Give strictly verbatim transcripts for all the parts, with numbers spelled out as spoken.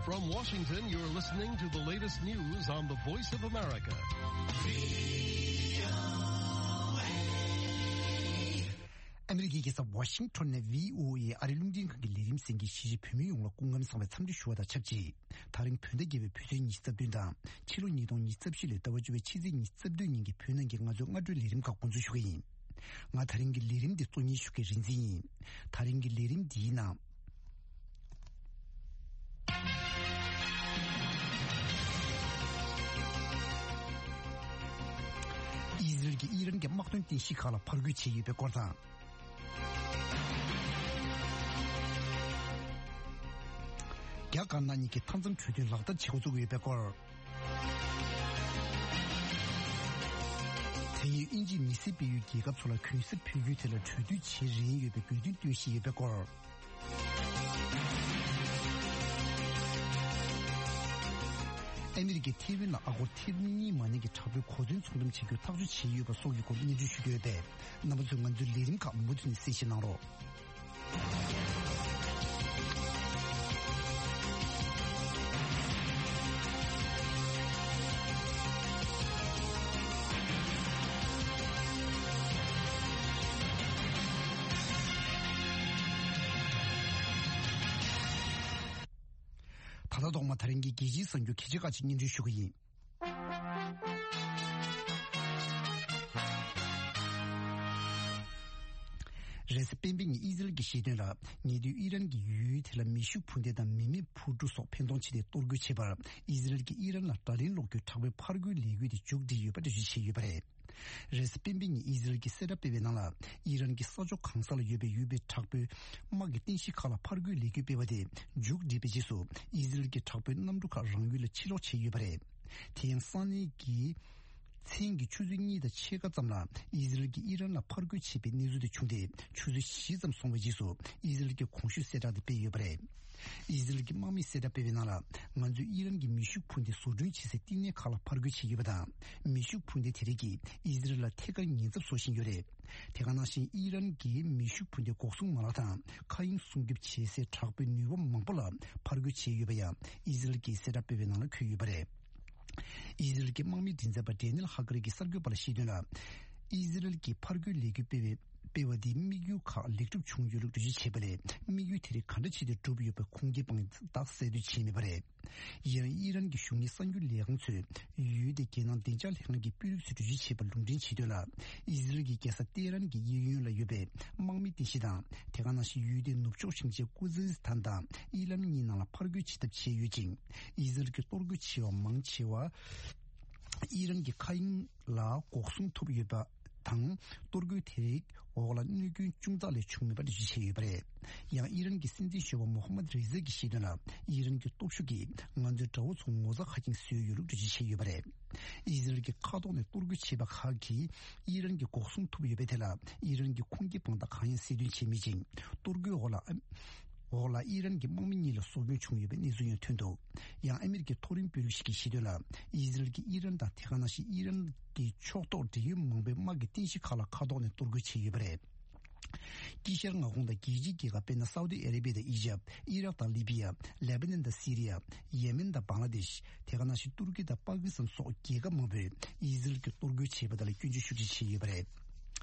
From Washington, you're listening to the latest news on the Voice of America. ཨ་མི་རི་ཀའི་རྒྱལ་ས་ཝ་ཤིང་ཊོན་ནས་བྷི་ཨོ་ཨེ་ཨ་རིའི་རླུང་འཕྲིན་ཁང་གི་ལས་རིམ་གསན་མཁན་གཞིས་བྱེས་བོད་མི་ཡོངས་ལ་སྐུ་ཁམས་བཟང་བའི་འཚམས་འདྲི་ཞུ་བ་དང་ཆབས་ཅིག་ད་རིང་བོད་ཟླ་བརྒྱད་པའི་བོད་ཚེས་ཉི་ཤུ་རྩ་བདུན་དང་ཕྱི་ལོ་ཉིས་སྟོང་ཉི་ཤུ་རྩ་བཞི་ལོའི་ཟླ་བ་བཅུ་པའི་ཕྱི་ཚེས་ཉི་ཤུ་རྩ་བདུན་ཉིན་གྱི་བོད་ནང་གི་ང་ཚོའི་སྔ་དྲོའི་ལས་རིམ་ཁག་འགོ་འཛུགས་ཞུ་གི་ཡིན། ང་ད་རིང་གི་ལས་རིམ་འདི་གཙོ་གཉེར་ཞུ་མཁན་རིག་འཛིན་ཡིན། ད་རིང་གི་ལས་རིམ་འདིའི་ནང་། ཨི་ཟི་རལ་གྱིས་ཨི་རན་གྱི་དམག་དོན་རྟེན་གཞི་ཁག་ལ་ཕར་རྒོལ་བྱས་ཡོད་པའི་སྐོར་དང་། རྒྱ་དཀར་ནག་གཉིས་ཀྱིས་མཐའ་མཚམས་གྲོས་མཐུན་ལག་བསྟར་བྱེད་འགོ་བཙུགས་ཡོད་པའི་སྐོར། དེ་ཡིས་དབྱིན་ཇིས་མི་སེར་སྤེལ་ཡུལ་རྒྱལ་ཁབ་ཚོ་ལ་གུན་གསབ་ཕུལ་རྒྱུའི་ཐད་ལ་གྲོས་བསྡུར་བྱེད་རན་ཡོད་པའི་དགོས་འདུན་བཏོན་བཞིན་ཡོད་པའི་སྐོར། ཨ་མི་རི་ཀས་ཐེ་ཝན་ལ་ཨ་སྒོར་ཐེ་རི་ལི་ཡན་མ་ཉམས་ཀྱི་དྲག་པོའི་གོ་མཚོན་ཚོང་འགྲེམས་བྱེད་རྒྱུར་ཐག་གཅོད་བྱས་ཡོད་པ་སོགས་ཀྱི་སྐོར་སྙན་སྒྲོན་ཞུ་རྒྱུ་ཡོད་པས། རྣམ་པ་ཚོས་ང་ཚོའི་ལས་རིམ་ཁག་མུ་མཐུད་ནས་གསན་བཞེས་གནང་རོགས། ད་ལྟ་ཐོག་མ་ད་རིང་གི་རྒྱལ་སྤྱིའི་གསར་འགྱུར་གལ་ཆེ་ཁག་ཅིག་སྙན་སྒྲོན་ཞུ་གི་ཡིན། རེས་གཟའ་སྤེན་པའི་ཉིན་ཨི་ཟི་རལ་གྱི་བཤད་དོན་ལ། ཉེ་དུས་ཨི་རན་གྱི་ཡུལ་དེ་ལ་མེ་ཤུགས་འཕུར་མདེལ་དང་མི་མེད་འཕུར་གྲུ་སོགས་འཕེན་གཏོང་བྱས་ཏེ་གཏོར་རྒོལ་བྱས་པར། ཨི་ཟི་རལ་གྱིས་ཨི་རན་ལ་དགྲ་ལན་སློག་རྒྱུའི་དྲག་པོའི་ཕར་རྒོལ་ལས་འགུལ་དེ་མཇུག་བསྒྲིལ་ཡོད་པ་འགྲེལ་བརྗོད་བྱས་ཡོད་པ་རེད། རེས་གཟའ་སྤེན་པའི་ཉིན་ཨི་ཟི་རལ་གྱིས་གསལ་བསྒྲགས་སྤེལ་བའི་ནང་ལ། ཨི་རན་གྱི་ས་ཕྱོགས་གང་ས་ལ་ཡོད་པའི་ཡུལ་དཔོན་དྲག་པོས་དམག་གི་རྟེན་གཞི་ཁག་ལ་ཕར་རྒོལ་ལས་འགུལ་སྤེལ་བ་དེ་མཇུག་བསྒྲིལ་བའི་རྗེས་སུ། ཨི་ཟི་རལ་གྱི་དྲག་པོའི་གནམ་གྲུ་ཁག་རང་ཡུལ་ལ་ཕྱིར་ལོག་བྱས་ཡོད་པ་རེད། དེ་ཡང་ས་གནས་ཀྱི་མཚན་གྱི་ཆུ་ཚོད་གཉིས་དང་ཕྱེད་ཀ་ཙམ་ལ་ཨི་ཟི་རལ་གྱིས་ཨི་རན་ལ་ཕར་རྒོལ་བྱས་པའི་གནས་ཚུལ་དེ་བྱུང་སྟེ། ཆུ་ཚོད་བཞི་ཙམ་སོང་བའི་རྗེས་སུ་ཨི་ཟི་རལ་གྱིས་གོང་ཞུས་གསལ་བསྒྲགས་དེ་སྤེལ་ཡོད་པ་རེད། ཨི་ཟི་རལ་གྱི་དམག་མིས་གསལ་བསྒྲགས་སྤེལ་བའི་ནང་ལ། ང་ཚོས་ཨི་རན་གྱི་མེ་ཤུགས་འཕུར་མདེལ་བཟོ་སྐྲུན་བྱེད་སའི་བསྟི་གནས་ཁག་ལ་ཕར་རྒོལ་བྱས་ཡོད་པ་དང་། མེ་ཤུགས་འཕུར་མདེལ་དེ་རིགས་ཀྱིས་ཨི་ཟི་རལ་ལ་ཐད་ཀར་ཉེན་ཚབས་བཟོ་བཞིན་ཡོད་རེད། དེ་ག་ནང་བཞིན་ཨི་རན་གྱིས་མེ་ཤུགས་འཕུར་མདེལ་འགོག་སྲུང་མ་ལག་དང་མཁའ་དབྱིངས་སྲུང་སྐྱོབ་བྱེད་སའི་དྲག་པོའི་ནུས་པ་མང་པོ་ལ་ཕར་རྒོལ་བྱས་ཡོད་པ་ཡང་ཨི་ཟི་རལ་གྱིས་གསལ་བསྒྲགས་སྤེལ་བའི་ནང་ལ་འཁོད་ཡོད་པ་རེད། ཨི་ཟི་རལ་གྱི་དམག་མིའི་མགྲིན་ཚབ་པ་ཌེ་ནིལ་ཧ་ཀ་རི་གྱིས་གསར་འགོད་པ་ལ་བཤད་དོན་ལ། ཨི་ཟི་རལ་གྱིས་ཕར་རྒོལ་ལས་འགུལ་སྤེལ་བའི་སྤེལ་བ་འདིས་དམིགས་ཡུལ་ཁག་ལེགས་གྲུབ་བྱུང་ཡོད་ལུགས་འགྲེལ་བརྗོད་བྱས་པ་ལས། དམིགས་ཡུལ་དེ་རིགས་ག་འདྲ་བྱས་ཏེ་འགྲུབ་ཡོད་པའི་ཁུངས་སྐྱེལ་དཔང་རྟགས་གསལ་འདོན་བྱས་མེད་པ་རེད། ཡང་ཨི་རན་གྱི་གཞུང་གཉེར་གསར་འགྱུར་ལས་ཁང་ཚོས་ཡུལ་དེའི་རྒྱལ་ནང་བདེ་འཇགས་ལྷན་ཁང་གི་དཔོན་རིགས་ཚོས་འགྲེལ་བརྗོད་བྱས་པར་ལུང་འདྲེན་བྱས་དོན་ལ། ཨི་ཟི་རལ་གྱི་རྒྱལ་ས་ཏེ་རན་གྱི་གཡས་གཡོན་ལ་ཡོད་པའི་དམག་མིའི་རྟེན་གཞི་དང་། དེ་ག་ནང་བཞིན་ཡུལ་དེའི་ནུབ་ཕྱོགས་ཞིང་ཆེན་ཀུ་ཛི་སི་ཐན་དང་ཨི་ལམ་གཉིས་ནང་ལ་ཕར་རྒོལ་བྱེད་ཐབས་བྱས་ཡོད་ཅིང་། ཨི་ཟི་རལ་གྱི་གཏོར་རྒོལ་བྱས་པ་མང་ཆེ་བ། ཨི་རན་གྱི་མཁའ་དབྱིངས་ལ་འགོག་སྲུང་ཐུབ་ཡོད་པ་དང་། གཏོར་རྒོལ་དེ་རིགས་འོག་ལ་གནོད་སྐྱོན་ཅུང་ཙག་ལས་བྱུང་མེད་པ་འགྲེལ་བརྗོད་བྱས་ཡོད་པ་རེད། ཡང་ཨི་རན་གྱི་སྲིད་འཛིན་གཞོན་པ་མོ་ཧ་མད་རེ་ཛ་གྱིས་བཤད་དོན་ལ། ཨི་རན་གྱི་སྟོབས་ཤུགས་ཀྱིས་ང་ཚོའི་དགྲ་བོ་ཚོ་ངོ་ཚ་ཁ་སྐྱེངས་བཟོས་ཡོད་ལུགས་འགྲེལ་བརྗོད་བྱས་ཡོད་པ་རེད། ཨི་ཟི་རལ་གྱི་མཁའ་ཐོག་ནས་གཏོར་རྒོལ་བྱས་པ་ཁག་གིས་ཨི་རན་གྱི་འགོག་སྲུང་ཐུབ་ཡོད་པའི་ཐད་ལ། ཨི་རན་གྱི་ཁུངས་སྐྱེལ་དཔང་རྟགས་གང་ཡང་གསལ་སྟོན་བྱས་མེད་ཅིང་། གཏོར་རྒོལ་འོག་ལ་འོག་ལ་ཨི་རན་གྱི་དམག་མི་གཉིས་ལ་སྲོག་སྐྱོན་བྱུང་ཡོད་པའི་གནས་ཚུལ་ཡང་ཐོན་འདུག་ཡང་ཨ་མི་རི་ཀའི་མཐོ་རིམ་དཔོན་རིགས་ཤིག་གིས་བཤད་དོན་ལ། ཨི་ཟི་རལ་གྱིས་ཨི་རན་དང་དེ་ག་ནང་བཞིན་ཨི་རན་གྱི་ཕྱོགས་གཏོགས་འབྲེལ་ཡོད་མང་པོའི་དམག་གི་རྟེན་གཞི་ཁག་ལ་མཁའ་ཐོག་ནས་གཏོར་རྒོལ་བྱས་ཡོད་པ་རེད། དཀྱིལ་ཤར་མངའ་ཁོངས་དང་རྒྱལ་སྤྱིའི་རྒྱལ་ཁབ་དཔེར་ན་སའུ་ཏི་ཨ་རེ་བྷི་ཡ་དང་ཨི་ཇབ། ཨི་རག་དང་ལི་བྷི་ཡ། ལེ་བྷ་ནན་དང་སི་རི་ཡ། ཡེ་མེན་དང་བང་ལ་དེཤ། དེ་ག་ནང་བཞིན་ཏུར་ཀི་དང་པ་ཀི་སི་ཐན་སོགས་རྒྱལ་ཁབ་མང་པོས་ཨི་ཟི་རལ་གྱིས་གཏོར་རྒོལ་བྱས་པ་དེ་ལ་སྐྱོན་བརྗོད་ཤུགས་ཆེ་བྱས་ཡོད་པ་རེད།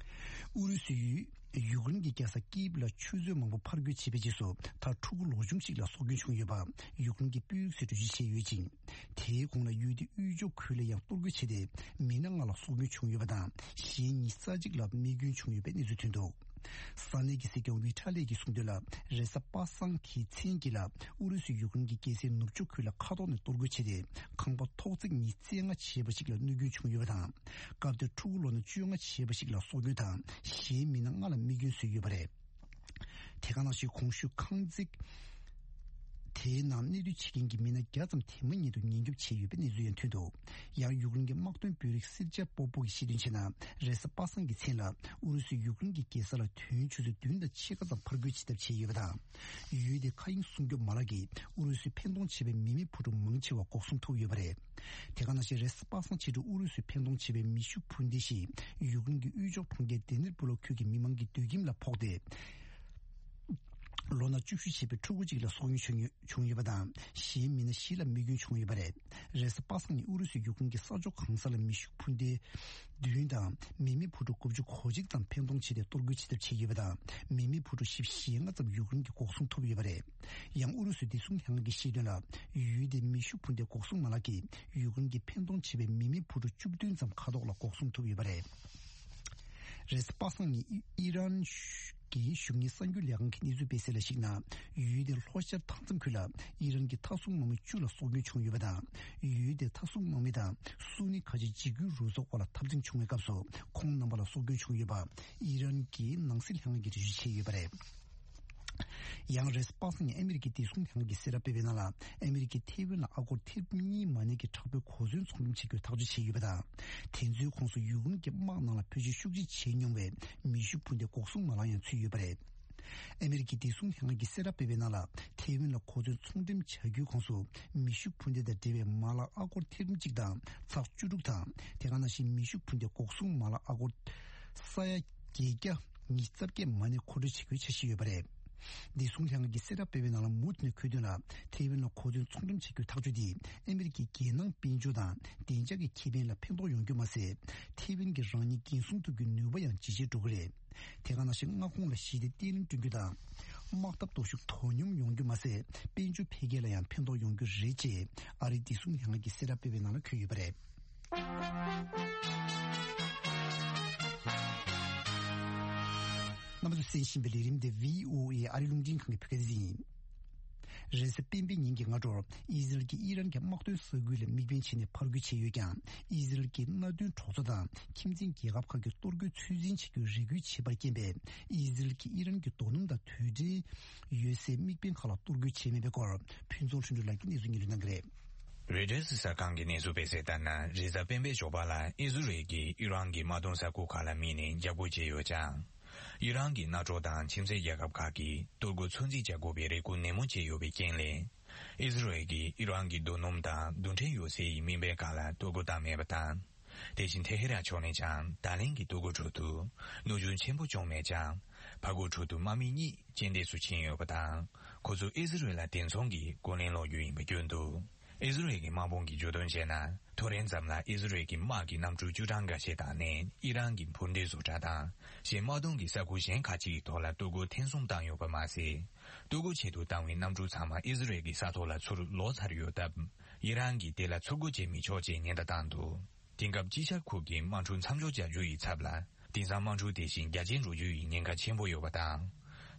ཨུ་རུ་སུས་ཡུ་ཡུཀ་རེན་གྱི་རྒྱལ་ས་ཀིབ་ལ་ཆུ་མཛོད་མང་པོ་ཕར་རྒོལ་བྱས་པའི་རྗེས་སུ། མཐར་ཕྲུ་གུ་ལོ་ཆུང་ཞིག་ལ་སྲོག་སྐྱོན་བྱུང་ཡོད་པ་ཡུཀ་རེན་གྱི་དཔོན་རིགས་ཚོས་འགྲེལ་བརྗོད་བྱས་ཡོད་ཅིང་། དེའི་གོང་ལ་ཡུལ་དེའི་དབུས་ཕྱོགས་ཁུལ་ལ་ཡང་གཏོར་རྒོལ་བྱས་ཏེ། མི་སྣ་ལྔ་ལ་སྲོག་སྐྱོན་བྱུང་ཡོད་པ་དང་། གཞན་ཉི་ཤུ་རྩ་གཅིག་ལ་རྨས་སྐྱོན་བྱུང་ཡོད་པའི་གནས་ཚུལ་ཐོན་འདུག་ས་གནས་ཀྱི་སྲིད་སྐྱོང་ཝི་ཁྲ་ལེ་གྱིས་གསུངས་དོན་ལ། རེས་གཟའ་པ་སངས་ཀྱི་མཚན་དཀྱིལ་ལ་ཨུ་རུ་སུས་ཡུཀ་རེན་གྱི་རྒྱལ་སའི་ནུབ་ཕྱོགས་ཁུལ་ལ་མཁའ་ཐོག་ནས་གཏོར་རྒོལ་བྱས་ཏེ། ཁང་པ་ཐོག་བརྩེགས་ཉི་ཤུ་རྩ་ལྔ་བྱས་པ་ཞིག་ལ་གནོད་སྐྱོན་བྱུང་ཡོད་པ་དང་། སྐབས་དེར་ཕྲུ་གུ་ལོ་ན་བཅོ་ལྔ་བྱས་པ་ཞིག་ལ་སྲོག་སྐྱོན་དང་། གཞན་མི་སྣ་ལྔ་ལ་རྨས་སྐྱོན་བཟོས་ཡོད་པ་རེད། དེ་ག་ནང་བཞིན་གོང་ཞུས་ཁང་བརྩེགས་དེའི་ནང་གནས་སྡོད་བྱེད་མཁན་གྱི་མི་སྣ་བརྒྱ་ཙམ་དེ་མ་ཉིད་དུ་ཉེན་སྐྱོབ་བྱས་ཡོད་པའི་གནས་ཚུལ་ཡང་ཐོན་འདུག་ཡང་ཡུཀ་རེན་གྱི་དམག་དོན་དཔོན་རིགས་སེར་ཇ་པོ་པོ་གིས་བཤད་དོན་བྱས་ན། རེས་གཟའ་པ་སངས་ཀྱི་མཚན་ལ་ཨུ་རུ་སུས་ཡུཀ་རེན་གྱི་རྒྱལ་ས་ལ་དུས་ཡུན་ཆུ་ཚོད་བདུན་དང་ཕྱེད་ཀ་ཙམ་ཕར་རྒོལ་བྱེད་ཐབས་བྱས་ཡོད་པ་དང་། ཡུལ་དེའི་མཁའ་དབྱིངས་སྲུང་སྐྱོབ་མ་ལག་གིས་ཨུ་རུ་སུས་འཕེན་གཏོང་བྱས་པའི་མི་མེད་འཕུར་གྲུ་མང་ཆེ་བ་འགོག་སྲུང་ཐུབ་ཡོད་པ་རེད། དེ་ག་ནང་བཞིན་རེས་གཟའ་པ་སངས་ཕྱི་དྲོ་ཨུ་རུ་སུས་འཕེན་གཏོང་བྱས་པའི་མེ་ཤུགས་འཕུར་མདེལ་ཞིག་ཡུཀ་རེན་གྱི་དབུས་ཕྱོགས་གྲོང་ཁྱེར་དེ་ནིར་པུ་ལོ་ཁུལ་གྱི་མི་མང་གི་སྡོད་ཁྱིམ་ལ་ཕོག་སྟེ། ལོ་ན་བཅུ་བཞི་བྱས་པའི་ཕྲུ་གུ་གཅིག་ལ་སྲོག་སྐྱོན་བྱུང་ཡོད་པ་དང་། གཞན་མི་སྣ་བཞི་ལ་རྨས་སྐྱོན་བྱུང་ཡོད་པ་རེད། རེས་གཟའ་པ་སངས་ཉིན་ཨུ་རུ་སུའི་ཡུཀ་རེན་གྱི་ས་ཕྱོགས་གང་ས་ལ་མེ་ཤུགས་འཕུར་མདེལ་བདུན་དང་མི་མེད་འཕུར་གྲུ་དགུ་བཅུ་གོ་གཅིག་ཙམ་འཕེན་གཏོང་བྱས་ཏེ་གཏོར་རྒོལ་བྱེད་ཐབས་བྱས་ཡོད་པ་དང་། མི་མེད་འཕུར་གྲུ་བཞི་བཅུ་ཞེ་ལྔ་ཙམ་ཡུཀ་རེན་གྱིས་འགོག་སྲུང་ཐུབ་ཡོད་པ་རེད། ཡང་ཨུ་རུ་སུའི་བདེ་སྲུང་ལྷན་ཁང་གིས་བཤད་དོན་ལ། ཡུལ་དེའི་མེ་ཤུགས་འཕུར་མདའི་འགོག་སྲུང་མ་ལག་གིས་ཡུཀ་རེན་གྱིས་འཕེན་གཏོང་བྱས་པའི་མི་མེད་འཕུར་གྲུ་བཅུ་བདུན་ཙམ་མཁའ་ཐོག་ལ་འགོག་སྲུང་ཐུབ་ཡོད་པ་རེད། རེས་གཟའ་པ་སངས་ཉིན་ཨི་རན་གྱི་གཞུང་གཉེར་གསར་འགྱུར་ལས་ཁང་གི་གནས་ཚུལ་སྤེལ་གསལ་ལ་གཞིགས་ན། ཡུལ་དེའི་ལྷོ་ཤར་མཐའ་མཚམས་ཁུལ་ལ་ཨི་རན་གྱི་མཐའ་སྲུང་དམག་མི་བཅུ་ལ་སྲོག་སྐྱོན་བྱུང་ཡོད་པ་དང་། ཡུལ་དེའི་མཐའ་སྲུང་དམག་མི་དང་སུ་ནི་ཁ་ཆེ་འཇིགས་སྐུལ་རུ་ཚོགས་དབར་ལ་འཐབ་འཛིང་བྱུང་བའི་སྐབས་སུ། ཁོང་རྣམ་པ་ལ་སྲོག་སྐྱོན་བྱུང་ཡོད་པ་ཨི་རན་གྱི་ནང་སྲིད་ལྷན་ཁང་གིས་འགྲེལ་བརྗོད་བྱས་ཡོད་པ་རེད། ཡང་རེས་གཟའ་པ་སངས་ཉིན་ཨ་མི་རི་ཀའི་བདེ་སྲུང་ལྷན་ཁང་གིས་གསལ་བསྒྲགས་སྤེལ་བའི་ནང་ལ། ཨ་མི་རི་ཀས་ཐེ་ཝན་ལ་ཨ་སྒོར་ཐེར་གཉིས་མ་ཎི་གི་དྲག་པོའི་གོ་མཚོན་ཚོང་འགྲེམས་བྱེད་རྒྱུའི་ཐག་གཅོད་བྱས་ཡོད་པ་དང་། དེ་ཚོའི་ཁོངས་སུ་ཡུཀ་རེན་གྱི་དམག་ནང་ལ་བེད་སྤྱོད་ཤུགས་ཆེ་བྱས་མྱོང་བའི་མེ་ཤུགས་འཕུར་མདའི་འགོག་སྲུང་མ་ལག་ཡང་ཚུད་ཡོད་པ་རེད། ཨ་མི་རི་ཀའི་བདེ་སྲུང་ལྷན་ཁང་གིས་གསལ་བསྒྲགས་སྤེལ་བའི་ནང་ལ། ཐེ་ཝན་ལ་གོ་མཚོན་ཚོང་འགྲེམས་བྱ་རྒྱུའི་ཁོངས་སུ་མེ་ཤུགས་འཕུར་མདའ་དང་འབྲེལ་བའི་མ་ལག་ཨ་སྒོར་ཐེར་འབུམ་གཅིག་དང་ཚེག་བཅུ་དྲུག་དང་། དེ་ག་ནང་བཞིན་མེ་ཤུགས་འཕུར་མདའི་འགོག་སྲུང་མ་ལག་ཨ་སྒོར་ས་ཡ་བརྒྱད་བརྒྱ་ཉི་ཤུ་རྩ་བརྒྱད་མ་ཎི་མཁོ་སྤྲོད་བྱེད་རྒྱུའི་འཆར་གཞི་ཡོད་པ་རེད། བདེ་སྲུང་ལྷན་ཁང་གིས་གསལ་བསྒྲགས་སྤེལ་བའི་ནང་ལ། མུ་མཐུད་ནས་འཁོད་དོན་ལ། ཐེ་ཝན་ལ་གོ་མཚོན་ཚོང་འགྲེམས་བྱེད་རྒྱུའི་ཐག་གཅོད་དེས་ཨ་མི་རི་ཀའི་རྒྱལ་ནང་དཔལ་འབྱོར་དང་བདེ་འཇགས་ཀྱི་ཁེ་ཕན་ལ་ཕན་ཐོགས་ཡོང་རྒྱུ་མ་ཟད། ཐེ་ཝན་གྱིས་རང་ཉིད་འགན་སྲུང་ཐུབ་རྒྱུའི་ནུས་པ་ཡང་ཇེ་ཆེར་འགྲོ་གི་རེད། དེ་ག་ནང་བཞིན་མངའ་ཁོངས་ལ་ཞི་བདེ་བརྟན་ལྷིང་བསྐྲུན་རྒྱུ་དང་། དམག་འཐབ་སྟོབས་ཤུགས་དོ་སྙོམས་ཡོང་རྒྱུ་མ་ཟད། དཔལ་འབྱོར་འཕེལ་རྒྱས་ལ་ཡང་ཕན་ཐོགས་ཡོང་རྒྱུ་རེད་ཅེས་ཨ་རིའི་བདེ་སྲུང་ལྷན་ཁང་གིས་གསལ་བསྒྲགས་སྤེལ་བའི་ནང་ལ་འཁོད་ཡོད་པ་རེད། རྣམ་པ་ཚོས་གསན་བཞིན་པའི་ལས་རིམ་དེ་བྷི་ཨོ་ཨེ་ཨ་རིའི་རླུང་འཕྲིན་ཁང་གི་བོད་སྐད་སྡེ་ཚན་ཡིན། རེས་གཟའ་སྤེན་པའི་ཉིན་གྱི་སྔ་དྲོར་ཨི་ཟི་རལ་གྱིས་ཨི་རན་གྱི་དམག་དོན་ས་ཁུལ་ལ་དམིགས་འབེན་བྱས་ནས་ཕར་རྒོལ་བྱས་ཡོད་ཀྱང་། ཨི་ཟི་རལ་གྱི་མནའ་མཐུན་གྲོགས་ཚོ་དང་ཁྱིམ་མཚེས་རྒྱལ་ཁབ་ཁག་གིས་གཏོར་རྒོལ་ཚོད་འཛིན་བྱེད་རྒྱུར་རེ་སྐུལ་བྱས་པར་རྐྱེན་པས། ཨི་ཟི་རལ་གྱིས་ཨི་རན་གྱི་རྡོ་སྣུམ་དང་དུས་དྲན་ཡོད་སའི་དམིགས་འབེན་ཁག་ལ་གཏོར་རྒོལ་བྱས་མེད་པའི་སྐོར། ཕུན་ཚོགས་ལྷུན་གྲུབ་ལགས་ཀྱིས་གནས་ཚུལ་སྙན་སྒྲོན་གནང་གི་རེད། རོའི་ཊར་གསར་ཁང་གིས་གནས་ཚུལ་སྤེལ་གསལ་ལྟར་ན། རེས་གཟའ་སྤེན་པའི་ཞོགས་པ་ལ་ཨི་ཟི་རལ་གྱིས་ཨི་རན་གྱི་དམག་དོན་ས་ཁུལ་ཁག་ལ་དམིགས་ནས་འཇབ་རྒོལ་བྱས་ཡོད་ཀྱང་། ཨི་རན་གྱི་མནའ་གྲོགས་དང་ཁྱིམ་མཚེས་རྒྱལ་ཁབ་ཁག་གིས་གཏོར་རྒོལ་ཚོད་འཛིན་བྱ་དགོས་པའི་རེ་སྐུལ་ནན་མོ་བྱས་ཡོད་པའི་རྐྱེན་ལས། ཨི་ཟི་རལ་གྱིས་ཨི་རན་གྱི་རྡོ་སྣུམ་དང་རྡུལ་ཕྲན་ཡོད་སའི་དམིགས་འབེན་ཁག་ལ་གཏོར་རྒོལ་བཏང་མེད་པ་དང་། དེ་བཞིན་ཏེ་ཧེ་རན་ཕྱོགས་ནས་ཀྱང་ད་ལན་གྱི་གཏོར་རྒོལ་ཁྲོད་དུ་གནོད་སྐྱོན་ཆེན་པོ་བྱུང་མེད་ཀྱང་། ཕར་རྒོལ་ཁྲོད་དུ་དམག་མི་གཉིས་རྐྱེན་འདས་སུ་ཕྱིན་ཡོད་པ་དང་། ཁོ་ཚོ་ཨི་ཟི་རལ་ལ་དེ་མཚུངས་ཀྱི་རྒོལ་ལན་སློག་རྒྱུ་ཡིན་པ་བརྗོད་འདུག་ཨི་ཟི་རལ་གྱི་དམག་དཔུང་གིས་བརྗོད་དོན་བྱས་ན། ཐོ་རེངས་ཙམ་ལ་ཨི་ཟི་རལ་གྱི་དམག་གི་གནམ་གྲུ་བཅུ་གྲངས་འགའ་ཤས་དང་ནས་ཨི་རན་གྱི་འཕུར་མདེལ་བཟོ་གྲྭ་དང་གཞན་དམག་དོན་གྱི་ས་ཁུལ་གཞན་ཁག་ཅིག་གི་ཐོག་ལ་གཏོར་རྒོལ་ཐེངས་གསུམ་བཏང་ཡོད་པ་མ་ཟད། གཏོར་རྒོལ་ཆེད་དུ་བཏང་བའི་གནམ་གྲུ་ཚང་མ་ཨི་ཟི་རལ་གྱི་ས་ཐོག་ལ་ཚུར་ལོག་ཚར་ཡོད་སྟབས། ཨི་རན་གྱིས་དེ་ལ་ཚུར་རྒོལ་བྱེད་མི་ཆོག་ཅེས་ཉེན་བརྡ་བཏང་འདུག་དེང་སྐབས་དཀྱིལ་ཤར་ཁུལ་གྱི་དམག་འཁྲུག་མཚམས་འཇོག་བྱ་རྒྱུ་ཡི་ཚབ་ལ། དེང་སང་དམག་འཁྲུག་དེ་བཞིན་རྒྱ་ཆེར་འགྲོ་རྒྱུ་ཡི་ཉེན་ཁ་ཆེན་པོ་ཡོད་པ་དང་།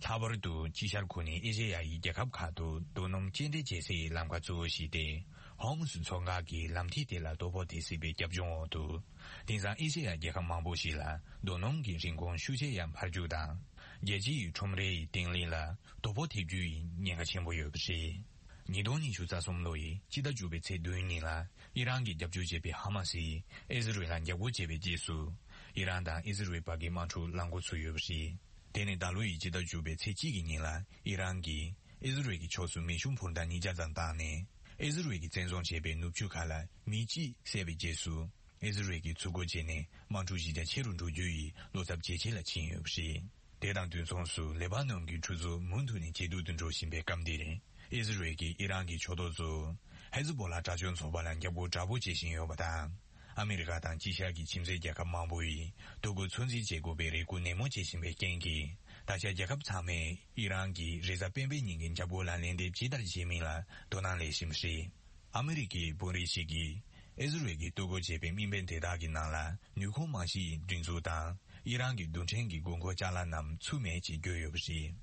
ལྷག་པར་དུ་དཀྱིལ་ཤར་ཁུལ་ནི་ཨེ་ཤེ་ཡ་ཡི་རྒྱལ་ཁབ་ཁག་ཏུ་རྡོ་སྣུམ་སྐྱེལ་འདྲེན་བྱེད་སའི་ལམ་ཁ་གཙོ་བོ་ཞིག་སྟེ། ཧོར་མུ་ཟི་མཚོ་འགག་གི་ལམ་ཐིག་དེ་ལ་དོ་ཕོག་ཐེབས་སྲིད་པའི་རྒྱབ་ལྗོངས་འོག་ཏུ། དེང་སང་ཨེ་ཤེ་ཡ་རྒྱལ་ཁབ་མང་པོ་ཞིག་ལ་རྡོ་སྣུམ་གྱི་རིན་གོང་ཤུགས་ཆེ་ཡང་འཕར་རྒྱུ་དང་། རྒྱལ་སྤྱི་ཡི་ཁྲོམ་རའི་བརྟན་ལྷིང་ལ་དོ་ཕོག་ཐེབས་རྒྱུ་ཡི་ཉེན་ཁ་ཆེན་པོ་ཡོད་པ་རེད། ཉིས་སྟོང་ཉི་ཤུ་རྩ་གསུམ་ལོ་ཡི་སྤྱི་ཟླ་བཅུ་པའི་ཚེས་བདུན་ཉིན་ལ་ཨི་རན་གྱིས་རྒྱབ་སྐྱོར་བྱེད་པའི་ཧ་མ་སིས་ཨི་ཟི་རལ་ལ་འཇབ་རྒོལ་བྱས་པའི་རྗེས་སུ། ཨི་རན་དང་ཨི་ཟི་རལ་བར་གྱི་དམག་འཁྲུག་ལངས་འགོ་ཚུགས་ཡོད་པ་རེད། དེ་ནི་ད་ལོ་ཡི་སྤྱི་ཟླ་བཅུ་པའི་ཚེས་གཅིག་གི་ཉིན་ལ་ཨི་རན་གྱིས་ཨི་ཟི་རལ་གྱི་ཕྱོགས་སུ་མེ་ཤུགས་འཕུར་མདའ་ཉིས་བརྒྱ་ཙམ་བཏང་ནས། ཨི་ཟི་རལ་གྱིས་བཙན་བཟུང་བྱས་པའི་ནུབ་ཕྱོགས་ཁག་ལ་མི་གཅིག་བསད་པའི་རྗེས་སུ། ཨི་ཟི་རལ་གྱིས་ཚུར་རྒོལ་བྱས་ནས་དམག་འཁྲུག་གཞི་རྒྱ་ཆེ་རུ་འགྲོ་རྒྱུ་ཡི་བློ་འཚབ་ཇེ་ཆེ་ལ་ཕྱིན་ཡོད་པ་རེད། དེ་དང་དུས་མཚུངས་སུ་ལེ་པ་ནོན་གྱི་འཁྲུག་རྩོད་མུ་མཐུད་ནས་ཇེ་སྡུག་ཏུ་འགྲོ་བཞིན་པའི་སྐབས་འདིར། ཨི་ཟི་རལ་གྱིས་ཨི་རན་གྱི་ཕྱོགས་གཏོགས་ཚོ་ཧེ་ཛི་བྷོ་ལ་དྲག་སྤྱོད་ཚོགས་པ་ལ་འཇབ་རྒོལ་དྲག་པོ་བྱེད་བཞིན་ཡོད་པ་དང་། ཨ་མི་རི་ཀ་དང་དཀྱིལ་ཤར་གྱི་ཁྱིམ་མཚེས་རྒྱལ་ཁབ་མང་པོ་ཡིས་གཏོར་རྒོལ་ཚོད་འཛིན་བྱེད་དགོས་པའི་རེ་སྐུལ་ནན་མོ་བྱེད་བཞིན་པའི་རྐྱེན་གྱིས། ད་ཆ་རྒྱལ་ཁབ་ཚང་མས་ཨི་རན་གྱིས་རེས་གཟའ་སྤེན་པའི་ཉིན་གྱི་འཇབ་རྒོལ་ལ་ལན་འདེབས་ཇི་ལྟར་བྱེད་མིན་ལ་དོ་སྣང་སླེབས་བཞིན་པ་རེད། ཨ་མི་རི་ཀའི་དཔོན་རིགས་ཤིག་གིས་ཨི་ཟི་རལ་གྱིས་གཏོར་རྒོལ་བྱས་པའི་དམིགས་འབེན་དེ་དག་གི་ནང་ལ་ནུས་ཁུངས་མ་ཞིག་སྒྲིག་འཛུགས་དང་། ཨི་རན་གྱི་རྡུལ་ཕྲན་གྱི་དགོས་མཁོ་ཅ་ལག་རྣམས་ཚུད་མེད་ཅེས་བརྗོད་ཡོད་པ་རེད།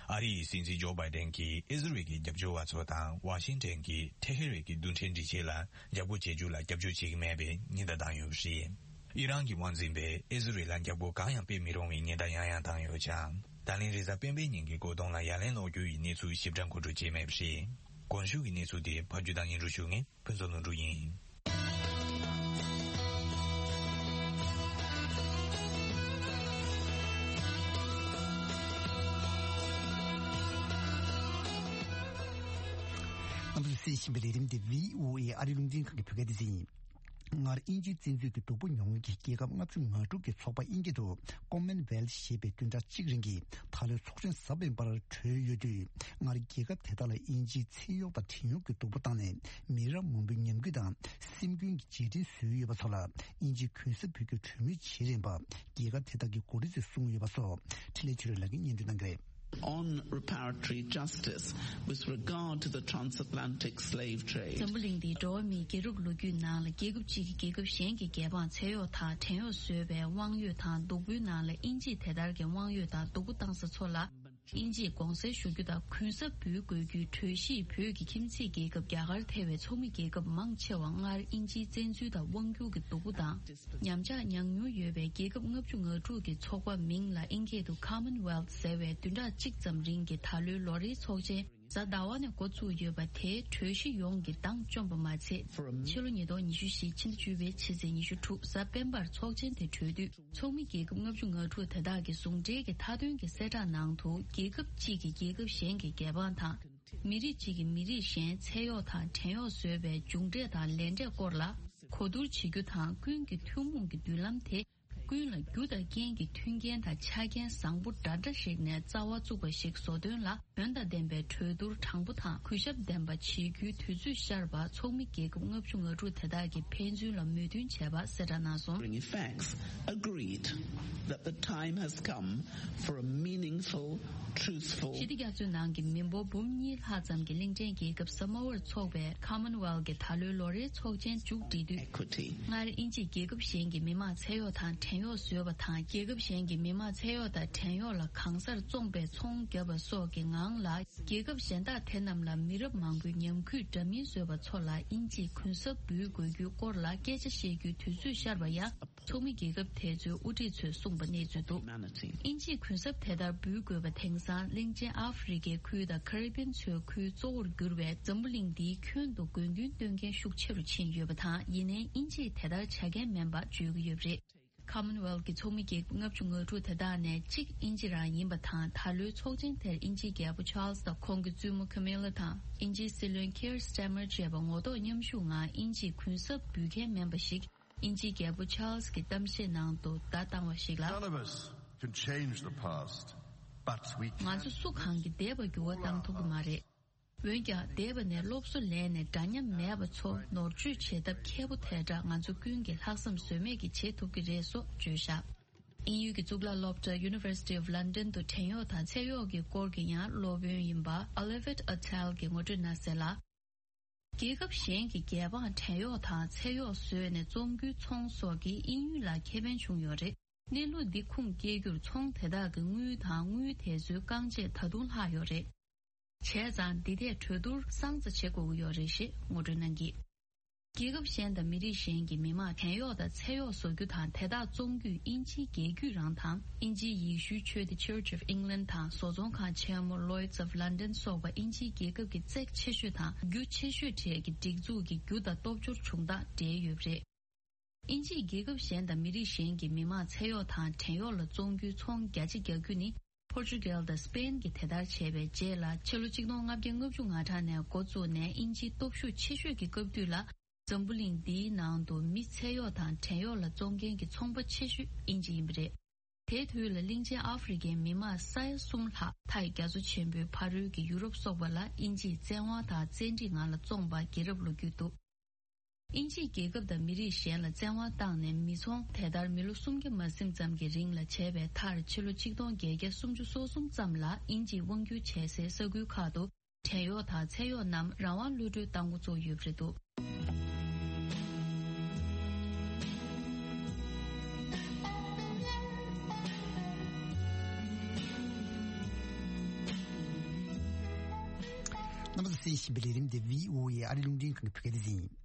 ཨ་རི་ཡི་སྲིད་འཛིན་ཇོ་བྷའི་ཌེན་གྱིས་ཨི་ཟི་རལ་གྱི་རྒྱབ་སྐྱོར་བ་ཚོ་དང་ཝ་ཤིང་ཊོན་གྱི་ཐེ་ཧེ་རན་གྱི་རྡུལ་ཕྲན་སྒྲིག་ཆས་ལ་འཇབ་རྒོལ་བྱེད་རྒྱུ་ལ་རྒྱབ་སྐྱོར་བྱེད་ཀྱི་མེད་པའི་ཉེན་བརྡ་བཏང་ཡོད་པ་རེད། ཨི་རན་གྱི་དབང་འཛིན་པས་ཨི་ཟི་རལ་ལ་འཇབ་རྒོལ་གང་ཡང་སྤེལ་མི་རུང་བའི་ཉེན་བརྡ་ཡང་ཡང་བཏང་ཡོད་ཀྱང་། ད་ལན་རེས་གཟའ་སྤེན་པའི་ཉིན་གྱི་རྒོལ་རྡུང་ལ་ཡ་ལན་སློག་རྒྱུ་ཡི་གནས་ཚུལ་ཞིབ་ཕྲ་མཁོ་སྤྲོད་བྱས་མེད་པ་རེད། གོང་ཞུས་ཀྱི་གནས་ཚུལ་དེ་ཕབ་སྒྱུར་དང་སྙན་སྒྲོན་ཞུ་མཁན་ཕུན་ཚོགས་ལྷུན་གྲུབ་ཡིན། རྣམ་པ་ཚོས་གསན་བཞིན་པའི་ལས་རིམ་དེ་བྷི་ཨོ་ཨེ་ཨ་རིའི་རླུང་འཕྲིན་ཁང་གི་བོད་སྐད་སྡེ་ཚན་ཡིན། སྔར་དབྱིན་ཇིའི་བཙན་འཛུལ་གྱི་སྡུག་པོ་མྱོང་མཁན་གྱི་རྒྱལ་ཁབ་ལྔ་བཅུ་ང་དྲུག་གི་ཚོགས་པ་དབྱིན་སྐད་དུ་Commonwealth ཞེས་པའི་བདུན་ཕྲག་གཅིག་རིང་གི་ད་ལོའི་ཚོགས་ཆེན་གཟབ་དཔོན་པར་གྲོལ་ཡོད་དུས། སྔར་རྒྱལ་ཁབ་དེ་དག་ལ་དབྱིན་ཇིའི་ཚེ་གཡོག་དང་བྲན་གཡོག་གི་སྡུག་པོ་བཏང་ནས། མི་རབས་མང་པོའི་ཉམས་རྒུད་དང་སེམས་འགུལ་གྱི་རྗེས་དྲན་བཟོས་ཡོད་པ་ཚོ་ལ་དབྱིན་ཇིས་གུན་གསབ་ཕུལ་རྒྱུའི་གྲོས་མོལ་བྱེད་རན་པ། རྒྱལ་ཁབ་དེ་དག་གི་འགོ་ཁྲིད་ཚོས་གསུངས་ཡོད་པ་སོགས་འཕྲིན་ལས་ཆོས་སྒྲོན་ལགས་ཀྱིས་སྙན་སྒྲོན་གནང་གི་རེད། On reparatory justice with regard to the transatlantic slave trade. འཛམ་བུ་གླིང་འདིའི་འགྲོ་བ་མིའི་རྒྱལ་རབས་ལོ་རྒྱུས་ནང་ལ་རྒྱལ་ཁབ་གཅིག་གིས་རྒྱལ་ཁབ་གཞན་གྱི་རྒྱལ་འབངས་ཚེ་གཡོག་དང་བྲན་གཡོག་བཟོས་པའི་དབང་ཡོད་དང་སྡུག་པོའི་ནང་ལ་དབྱིན་ཇིས་དེ་ལྟར་གྱི་དབང་ཡོད་དང་སྡུག་པོ་བཏང་ས་ཚོ་ལ་དབྱིན་ཇིས་དགོངས་སེལ་ཞུ་རྒྱུ་དང་གུན་གསབ་འབུལ་དགོས་རྒྱུའི་གྲོས་གཞིས་བོད་ཀྱི་ཁྱིམ་མཚེས་རྒྱལ་ཁབ་རྒྱ་གར་ཐེ་བའི་ཚོགས་མི་རྒྱལ་ཁབ་མང་ཆེ་བ་སྔར་དབྱིན་ཇིའི་བཙན་འཛུལ་དང་དབང་སྒྱུར་གྱི་སྡུག་པོ་དང་། ཉམས་ཆག་མྱངས་མྱོང་ཡོད་པའི་རྒྱལ་ཁབ་ལྔ་བཅུ་ང་དྲུག་གི་ཚོགས་པ་མིང་ལ་དབྱིན་སྐད་དུ་Commonwealth ཟེར་བའི་བདུན་ཕྲག་གཅིག་ཙམ་རིང་གི་ད་ལོའི་ལོ་རེའི་ཚོགས་ཆེན་གཟའ་ཟླ་བ་ནས་འགོ་བཙུགས་ཡོད་པ་དེའི་གྲོས་གཞི་ཡོངས་ཀྱི་འདང་བཅོམ་པ་མ་ཚད། ཕྱི་ལོ་ཉིས་སྟོང་ཉི་ཤུ་བཞི་ཕྱི་ཟླ་བཅུ་པའི་ཕྱི་ཚེས་ཉི་ཤུ་དྲུག་གཟའ་སྤེན་པར་ཚོགས་ཆེན་དེ་གྲོལ་དུས། ཚོགས་མི་རྒྱལ་ཁབ་ལྔ་བཅུ་ང་དྲུག་དེ་དག་གི་ཟུང་འབྲེལ་གྱི་མཐའ་དོན་གྱི་གསལ་བསྒྲགས་ནང་དུ། རྒྱལ་ཁབ་གཅིག་གིས་རྒྱལ་ཁབ་གཞན་གྱི་རྒྱལ་འབངས་དང་། མི་རིགས་གཅིག་གིས་མི་རིགས་གཞན་ཚེ་གཡོག་དང་བྲན་གཡོག་བཟོས་པའི་མཇུག་འབྲས་དང་ལས་འབྲས་སྐོར་ལ་གོ་བསྡུར་བྱེད་རྒྱུ་དང་། ཀུན་གྱི་ཐུན་མོང་གི་མདུན་ལམ་དེ། ཀུན་ལ་རྒྱུ་དང་རྐྱེན་གྱི་མཐུན་རྐྱེན་དང་ཆ་རྐྱེན་བཟང་པོ་འདྲ་འདྲ་ཞིག་ནས་རྩ་བ་བཙུགས་པ་ཞིག་བཟོ་དོན་ལ། དོན་དང་ལྡན་པའི་གྲོས་བསྡུར་དྲང་པོ་དང་གུས་ཞབས་ལྡན་པ་བྱེད་རྒྱུའི་དུས་ཚོད་ཤར་བ། ཚོགས་མི་རྒྱལ་ཁབ་ལྔ་བཅུ་ང་དྲུག་དེ་དག་གིས་ཕན་ཚུན་ལ་མོས་མཐུན་བྱས་པ་གསལ་བསྒྲགས་གནང་སོང་། Bringing facts, agreed that the time has come for a meaningful, truthful ཞི་བདེ་རྒྱ་མཚོའི་ནང་གི་མི་འབོར་འབུམ་གཉིས་ལྷག་ཙམ་གྱི་གླིང་ཕྲན་རྒྱལ་ཁབ་ས་མོ་ཝར་ཚོགས་པའི་Commonwealth གྱི་ད་ལོའི་ལོ་རེའི་ཚོགས་ཆེན་མཇུག་སྒྲིལ་དུས། Equity. སྔར་དབྱིན་ཇིས་རྒྱལ་ཁབ་གཞན་གྱི་མི་དམངས་ཚེ་གཡོག་དང་བྲན་གཡོག་བཟོས་པ་དང་། རྒྱལ་ཁབ་གཞན་གྱི་མི་དམངས་ཚེ་གཡོག་དང་བྲན་གཡོག་ལ་གང་སར་བཙོངས་པའི་ཚོང་བརྒྱབ་པ་སོགས་ཀྱི་ངང་ལ། རྒྱལ་ཁབ་གཞན་དག་དེ་རྣམས་ལ་མི་རབས་མང་པོའི་ཉམས་རྒུད་འདྲ་མིན་བཟོས་པ་ཚོ་ལ་དབྱིན་ཇིས་གུན་གསབ་འབུལ་དགོས་རྒྱུའི་སྐོར་ལ་སྐད་ཆ་བཤད་རྒྱུའི་དུས་ཚོད་ཤར་བ་ཡང་། ཚོགས་མི་རྒྱལ་ཁབ་དེ་ཚོའི་དབུ་ཁྲིད་ཚོས་གསུངས་པ་གནས་ཚུལ་འདུག། དབྱིན་ཇིས་གུན་གསབ་དེ་ལྟར་འབུལ་དགོས་པ་དེང་སང་གླིང་ཆེན་ཨ་ཧྥེ་རི་ཁའི་ཁུལ་དང་ཁ་རི་བིན་མཚོའི་ཁུལ་གཙོ་བོར་གྱུར་བའི་འཛམ་བུ་གླིང་འདིའི་ཁྱོན་དུ་དགོས་འདུན་སྟོན་མཁན་ཤུགས་ཆེ་རུ་ཕྱིན་ཡོད་པ་དང་། ཡིན་ནའི་དབྱིན་ཇིས་དེ་ལྟར་བྱ་མཁན་མིན་པ་བརྗོད་ཀྱི་ཡོད་པ་རེད། Commonwealth གི་ཚོགས་མི་རྒྱལ་ཁབ་ལྔ་བཅུ་ང་དྲུག་དེ་དག་ནས་གཅིག་དབྱིན་ཇི་རང་ཡིན་པ་དང་། ད་ལོའི་ཚོགས་ཆེན་དེར་དབྱིན་ཇིའི་རྒྱལ་པོ་ཆཱལ་སི་དང་ཁོང་གི་བཙུན་མོ་ཁེ་མི་ལ་དང་། དབྱིན་ཇིའི་སྲིད་བློན་ཁིར་སི་ཊར་མར་བཅས་པ་ངོ་ཐོག་མཉམ་ཞུགས་ངང་དབྱིན་ཇིས་གུན་གསབ་འབུལ་མཁན་མིན་པ་ཞིག། དབྱིན་ཇིའི་རྒྱལ་པོ་ཆཱལ་སི་གི་གཏམ་བཤད་ནང་དུ་བརྡ་བཏང་བ་ཞིག་ལ། None of us can change the past, but we can. ང་ཚོ་སུ་གང་གིས་འདས་པ་འགྱུར་བ་བཏང་ཐུབ་ཀྱི་མ་རེད། འོན་ཀྱང་། འདས་པ་ནས་སློབ་གསོ་ལེན་ནས་འདྲ་མཉམ་མེད་པ་ཚོ་ནོར་བཅོས་བྱེད་ཐབས་མཁས་པོ་དེ་འདྲ་ང་ཚོ་ཀུན་གྱིས་ལྷག་བསམ་ཟོལ་མེད་ཀྱིས་བྱེད་ཐུབ་ཀྱི་རེད་སོགས་བརྗོད་བཞག། དབྱིན་ཡུལ་གྱི་གཙུག་ལག་སློབ་གྲྭ་University of London དུ་བྲན་གཡོག་དང་ཚེ་གཡོག་གི་སྐོར་གྱི་ཡང་སློབ་དཔོན་ཡིན་པ་Olivet Attell གྱིས་ངོ་སྤྲོད་གནང་གསལ་ལ། རྒྱལ་ཁབ་གཞན་གྱི་རྒྱལ་འབངས་བྲན་གཡོག་དང་ཚེ་གཡོག་བཟོས་ནས་བཙོང་རྒྱུའི་ཚོང་སོགས་ཀྱིས་དབྱིན་ཡུལ་ལ་ཁེ་ཕན་བྱུང་ཡོད་རེད། གནས་ལུགས་འདི་ཁུངས་སྐྱེལ་རྒྱུར་ཚོང་དེ་དག་གི་དངུལ་དང་དངུལ་དེ་ཚོའི་རྐང་རྗེས་ད་དུང་ལྷག་ཡོད་རེད། བྱས་ཙང་འདི་ཐད་གྲོས་བསྡུར་སང་ཙམ་བྱེད་དགོས་ཀྱི་ཡོད་རེད་ཞེས་ངོ་སྤྲོད་གནང་གིས། རྒྱལ་ཁབ་གཞན་དང་མི་རིགས་གཞན་གྱི་མི་དམངས་བྲན་གཡོག་དང་ཚེ་གཡོག་བཟོ་རྒྱུ་དང་དེ་དག་བཙོང་རྒྱུས་དབྱིན་ཇིའི་རྒྱལ་རྒྱུད་རང་དང་དབྱིན་ཇིའི་ཡེ་ཤུའི་ཆོས་སྡེ་Church of England དང་བཟོ་ཚོང་ཁང་ཆེན་མོ་Lloyds of London སོགས་པ་དབྱིན་ཇིའི་རྒྱལ་ཁབ་ཀྱི་བརྩེགས་ཆེ་ཤོས་དང་རྒྱུ་ཆེ་ཤོས་གྲས་ཀྱི་སྒྲིག་འཛུགས་ཀྱི་རྒྱུ་དང་སྟོབས་འབྱོར་བྱུང་སྟངས་འབྲེལ་ཡོད་པ་རེད། དབྱིན་ཇིས་རྒྱལ་ཁབ་གཞན་དང་མི་རིགས་གཞན་གྱི་མི་དམངས་ཚེ་གཡོག་དང་བྲན་གཡོག་ལ་བཙོང་རྒྱུའི་ཚོང་བརྒྱ་ཆ་བརྒྱ་བརྒྱུད་ནི་པོར་ཅུ་གལ་དང་སི་པེན་གྱིས་དེ་ལྟར་བྱས་པའི་རྗེས་ལ། ཕྱི་ལོ་ཆིག་སྟོང་ལྔ་བརྒྱ་ལྔ་བཅུ་ང་གྲངས་ནས་འགོ་བཙུགས་ནས་དབྱིན་ཇིའི་སྟོབས་ཤུགས་ཆེ་ཤོས་ཀྱི་སྐབས་དུས་ལ། འཛམ་བུ་གླིང་འདིའི་ནང་དུ་མི་ཚེ་གཡོག་དང་བྲན་གཡོག་ལ་བཙོང་མཁན་གྱི་ཚོང་པ་ཆེ་ཤོས་དབྱིན་ཇི་ཡིན་པ་རེད། དེའི་དུས་ལ་གླིང་ཆེན་ཨ་ཧྥེ་རི་ཁའི་མི་དམངས་ས་ཡ་གསུམ་ལྷག་མཐའ་ཡི་རྒྱ་མཚོ་ཆེན་པོའི་ཕ་རོལ་གྱི་ཡུ་རོབ་སོགས་པ་ལ་དབྱིན་ཇིས་བཙན་དབང་དང་བཙན་ཁྲིད་ངང་ལ་བཙོངས་པ་རྒྱལ་རབས་ལོ་རྒྱུས་འདུག། དབྱིན་ཇིས་རྒྱལ་ཁབ་དང་མི་རིགས་གཞན་ལ་བཙན་དབང་བཏང་ནས་མི་ཚོང་དེ་ལྟར་མི་ལོ་སུམ་བརྒྱ་མ་ཟིན་ཙམ་གྱི་རིང་ལ་བྱས་པའི་མཐར། ཕྱི་ལོ་ཆིག་སྟོང་བརྒྱད་བརྒྱ་སུམ་ཅུ་སོ་གསུམ་ཙམ་ལ་དབྱིན་ཇིས་དབང་བསྒྱུར་བྱས་སའི་ས་ཁུལ་ཁག་ཏུ་བྲན་གཡོག་དང་ཚེ་གཡོག་རྣམས་རང་དབང་གློད་གྲོལ་བཏང་འགོ་བཙུགས་ཡོད་པ་རེད་འདུག། རྣམ་པ་ཚོས་གསན་བཞིན་པའི་ལས་རིམ་འདི་བྷི་ཨོ་ཨེ་ཨ་རིའི་རླུང་འཕྲིན་ཁང་གི་བོད་སྐད་སྡེ་ཚན་ཡིན།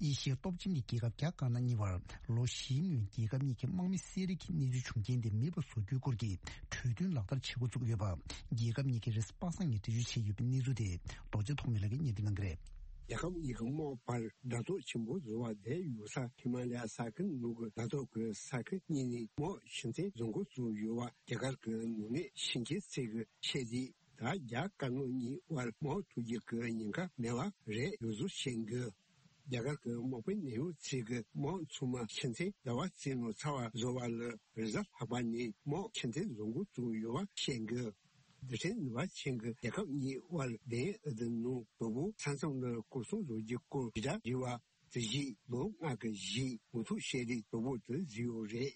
ཨེ་ཤི་ཡའི་སྟོབས་ཆེན་གྱི་རྒྱལ་ཁབ་རྒྱ་དཀར་ནག་གཉིས་བར་ལོ་བཞིའི་སྔོན་རྒྱལ་ཁབ་གཉིས་ཀྱི་དམག་མི་བསད་རེས་ཀྱི་གནས་ཚུལ་བྱུང་རྐྱེན་དེ་མེད་པར་བཟོ་རྒྱུའི་སྐོར་གྱི་གྲོས་མཐུན་ལག་བསྟར་བྱེད་འགོ་བཙུགས་ཡོད་པ། རྒྱལ་ཁབ་གཉིས་ཀྱིས་རེས་གཟའ་པ་སངས་ཉིན་འགྲེལ་བརྗོད་བྱས་ཡོད་པའི་གནས་ཚུལ་དེ་རྡོ་རྗེ་ཐོགས་མེད་ལགས་ཀྱིས་སྙན་སྒྲོན་གནང་གི་རེད། རྒྱལ་ཁབ་གཉིས་ཀྱི་དམག་བར་དགྲ་ཐོག་ཆེན་པོ་བཟོ་བ་དེ་ཡུག་ས་ཧི་མ་ལ་ཡ་ས་ཁུལ་ནང་གི་དགྲ་ཐོག་གི་ས་ཁུལ་གཉིས་ནས་དམག་ཕྱིར་འཐེན་བཟོ་འགོ་བཙུགས་ཡོད་པ་རྒྱ་གར་གྱི་ནང་གནས་ཕྱི་རྒྱལ་ཚད་ཀྱི་ཆེད་དེ། ད་རྒྱ་དཀར་ནག་གཉིས་དབར་དམག་འཁྲུག་རྒྱུ་གི་ཉེན་ཁ་མེད་པ་རེད་ཡོད་ཚུལ་བཤད་འདུག། རྒྱ་གར་གྱི་དམག་དཔོན་གནད་ཡོད་ཚོས་ཀྱི་དམག་ཚང་མ་ཕྱི་འཐེན་ཟླ་བ་རྩིས་ནང་ཚར་བ་བཟོ་བ་ལ་རེས་གཟའ་ལྷག་པ་ནས་དམག་ཕྱི་འཐེན་བཟོ་འགོ་བཙུགས་ཡོད་པ་བཤད་འདུག་རྡུལ་ཕྲན་ནུས་པ་ཅན་གྱི་རྒྱལ་ཁབ་གཉིས་དབར་བདེན་ཨ་དི་ནང་དོ་པོ་ས་མཚམས་ལ་སྐོར་སྲུང་བཟོ་རྒྱུ་སྐོར་དྲིལ་བསྒྲགས་བྱས་པ་དེ་བཞིན་ལོ་ལྔ་གི་རྗེས་མུ་མཐུད་བྱས་ཏེ་དོ་པོ་དེ་བཟོས་ཡོད་རེད།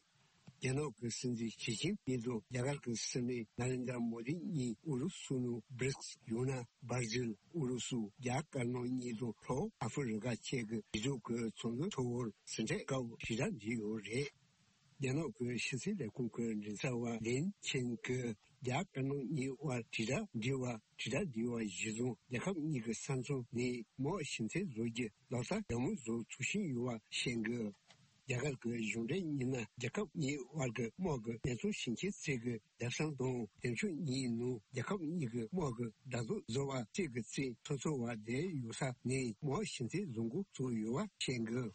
རྒྱ་ནག་གི་སྲིད་འཛིན་ཞི་ཅིན་ཕིང་དང་རྒྱ་གར་གྱི་སྲིད་བློན་ནཱ་རེན་དྲ་མོ་དི་གཉིས་ཨུ་རུ་སུ་ནང་བྷྲིག་སི་ཡང་ན་སྦར་ཟིལ་ཨུ་རུ་སུ་རྒྱ་དཀར་ནག་གཉིས་དང་ལྷོ་ཨ་ཧྥེ་རི་ཁ་བཅས་ཀྱི་རྒྱལ་ཚོགས་ཀྱི་ཚོགས་འདུ་ཚོགས་པར་ཟིན་བྲིས་སྐབས་དྲིལ་བསྒྲགས་བྱས་ཡོད་རེད། རྒྱ་ནག་གི་ཕྱི་སྲིད་ལས་ཁུངས་ཀྱི་མགྲིན་ཚབ་པ་ལིན་ཆིན་གྱིས་རྒྱ་དཀར་ནག་གཉིས་དབར་དྲིལ་བསྒྲགས་འབྲེལ་བ་དྲིལ་བསྒྲགས་འབྲེལ་བ་གཞིར་བཟུང་རྒྱལ་ཁབ་གཉིས་ཀྱི་ས་མཚམས་ནས་དམག་ཕྱི་འཐེན་བཟོ་རྒྱུ་ལག་བསྟར་ལྗགས་མོལ་བཟོ་ཚུགས་བཞིན་ཡོད་པ་བཤད་འདུག་རྒྱ་གར་གྱི་གཞུང་འབྲེལ་མི་སྣ་རྒྱལ་ཁབ་གཉིས་དབར་གྱི་དམག་གི་གནས་ཚུལ་ཞིབ་མཆན་བཅས་ཀྱི་ལྡེབ་གསང་དང་དེབ་ཆུང་གཉིས་ནང་རྒྱལ་ཁབ་གཉིས་ཀྱི་དམག་གི་བརྡ་དོན་བཟོ་བ་བཅས་ཀྱི་རྩིས་ཐོ་ཚོར་བ་དེ་ཡོད་ས་ནས་དམག་ཕྱི་འཐེན་བཟོ་འགོ་བཙུགས་ཡོད་པ་བཤད་འདུག་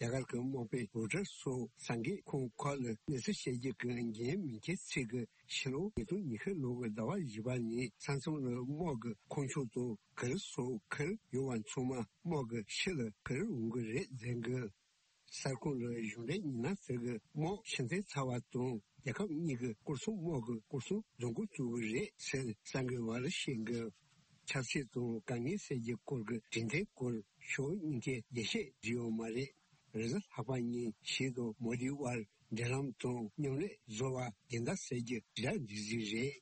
རྒྱ་གར་གྱི་དམག་དཔོན་རོ་ཊར་སོགས་གསར་འགོད་ཁང་ཁག་ལ་གནས་ཚུལ་བཤད་རྒྱུ་གི་འགན་མི་འཁྱེར་ཚུལ་གྱི་ཕྱི་ལོ་ཉིས་སྟོང་ཉི་ཤུ་ལོ་གི་ཟླ་བ་བཞི་པ་ནས་ས་མཚམས་ལ་དམག་གི་ཁང་ཆུང་དང་གུར་སོགས་ཁུར་ཡོད་པ་ཚང་མ་དམག་གི་ཕྱི་ལ་ཁུར་འོང་གི་རེད་ཟེར་འདུག་གསར་ཁང་ལ་གཞུང་འབྲེལ་མི་སྣ་ཚོས་ཀྱི་དམག་ཕྱི་འཐེན་ཚར་བ་དང་རྒྱལ་ཁབ་གཉིས་ཀྱི་སྐོར་སྲུང་དམག་གི་སྐོར་སྲུང་བཟོ་འགོ་བཙུགས་ཀྱི་རེད་ཟེར་གསར་འགོད་པ་ལ་བཤད་འདུག་ཆབ་སྲིད་དང་དཀའ་ངལ་སེལ་རྒྱུའི་སྐོར་གྱི་གྲོས་མཐུན་སྐོར་ཕྱོགས་གཉིས་ཀས་རྒྱས་བཤད་བྱས་ཡོད་མ་རེད། རེས་གཟའ་ལྷག་པ་ཉིན་ཞི་དང་མོ་དི་དབར་འབྲེལ་ལམ་དང་མཉམ་ལས་བཟོ་བ་སྦྱིན་བདག་ཟེར་རྒྱུ་དྲིལ་བསྒྲགས་འགྲིག་གཟིགས་རེད།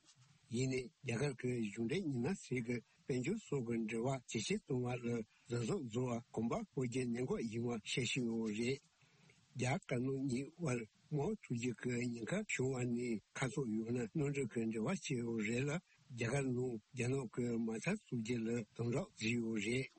ཡིན་ནའི་རྒྱ་གར་གྱི་གཞུང་འབྲེལ་མི་སྣ་ཚོས་ཀྱི་དཔལ་འབྱོར་སོགས་ཀྱི་འབྲེལ་བ་ཇེ་ཆེར་གཏོང་བ་ལ་གཟབ་གཟབ་བཟོ་བ་གོམ་པ་སྤོ་རྒྱུའི་གནད་འགག་ཡིན་པ་བཤད་བཞིན་ཡོད་རེད། རྒྱ་དཀར་ནག་གཉིས་དབར་དམག་འཁྲུག་རྒྱུ་གི་ཉེན་ཁ་བྱུང་བ་ནི་ཁ་ཕྱོགས་ཡོད་ན་མནའ་འབྲེལ་གྱི་འབྲེལ་བ་བྱས་ཡོད་རེད་ལ། རྒྱ་གར་ནང་རྒྱ་ནག་གི་མ་རྩ་བཙུགས་རྒྱུ་ལ་དམ་དྲག་བྱས་ཡོད་རེད།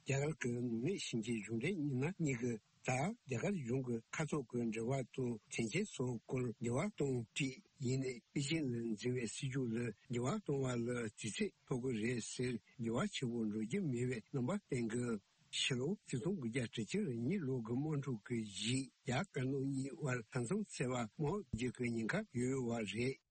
རྒྱ་གར་གྱི་ནང་གནས་ཞིང་ཆེན་གཞུང་འབྲེལ་མི་སྣ་གཉིས་ཀྱིས་ད་རྒྱ་གར་གཞུང་གི་ཁ་ཕྱོགས་ཀྱི་འབྲེལ་བ་དང་དོན་རྐྱེན་སོགས་སྐོར་འགྱུར་བ་གཏོང་དུས་ཡིན་ནའི་པེ་ཅིན་ལ་འཛིན་པའི་སྲིད་ཇུས་ལ་འགྱུར་བ་གཏོང་བ་ལ་དུས་ཚོད་ཐོགས་ཀྱི་རེད་ཟེར། འགྱུར་བ་ཆེན་པོ་འགྲོ་རྒྱུ་མེད་པའི་རྣམ་པ་བསྟན་གྱི། ཕྱི་ལོ་ཆིག་སྟོང་དགུ་བརྒྱ་དྲུག་ཅུ་རེ་གཉིས་ལོ་གི་དམག་འཁྲུག་གི་རྗེས་རྒྱ་དཀར་ནག་གཉིས་དབར་ས་མཚམས་འཚོལ་བ་དམག་རྒྱག་རྒྱུ་གི་ཉེན་ཁ་ཡོད་ཡོད་པ་རེད།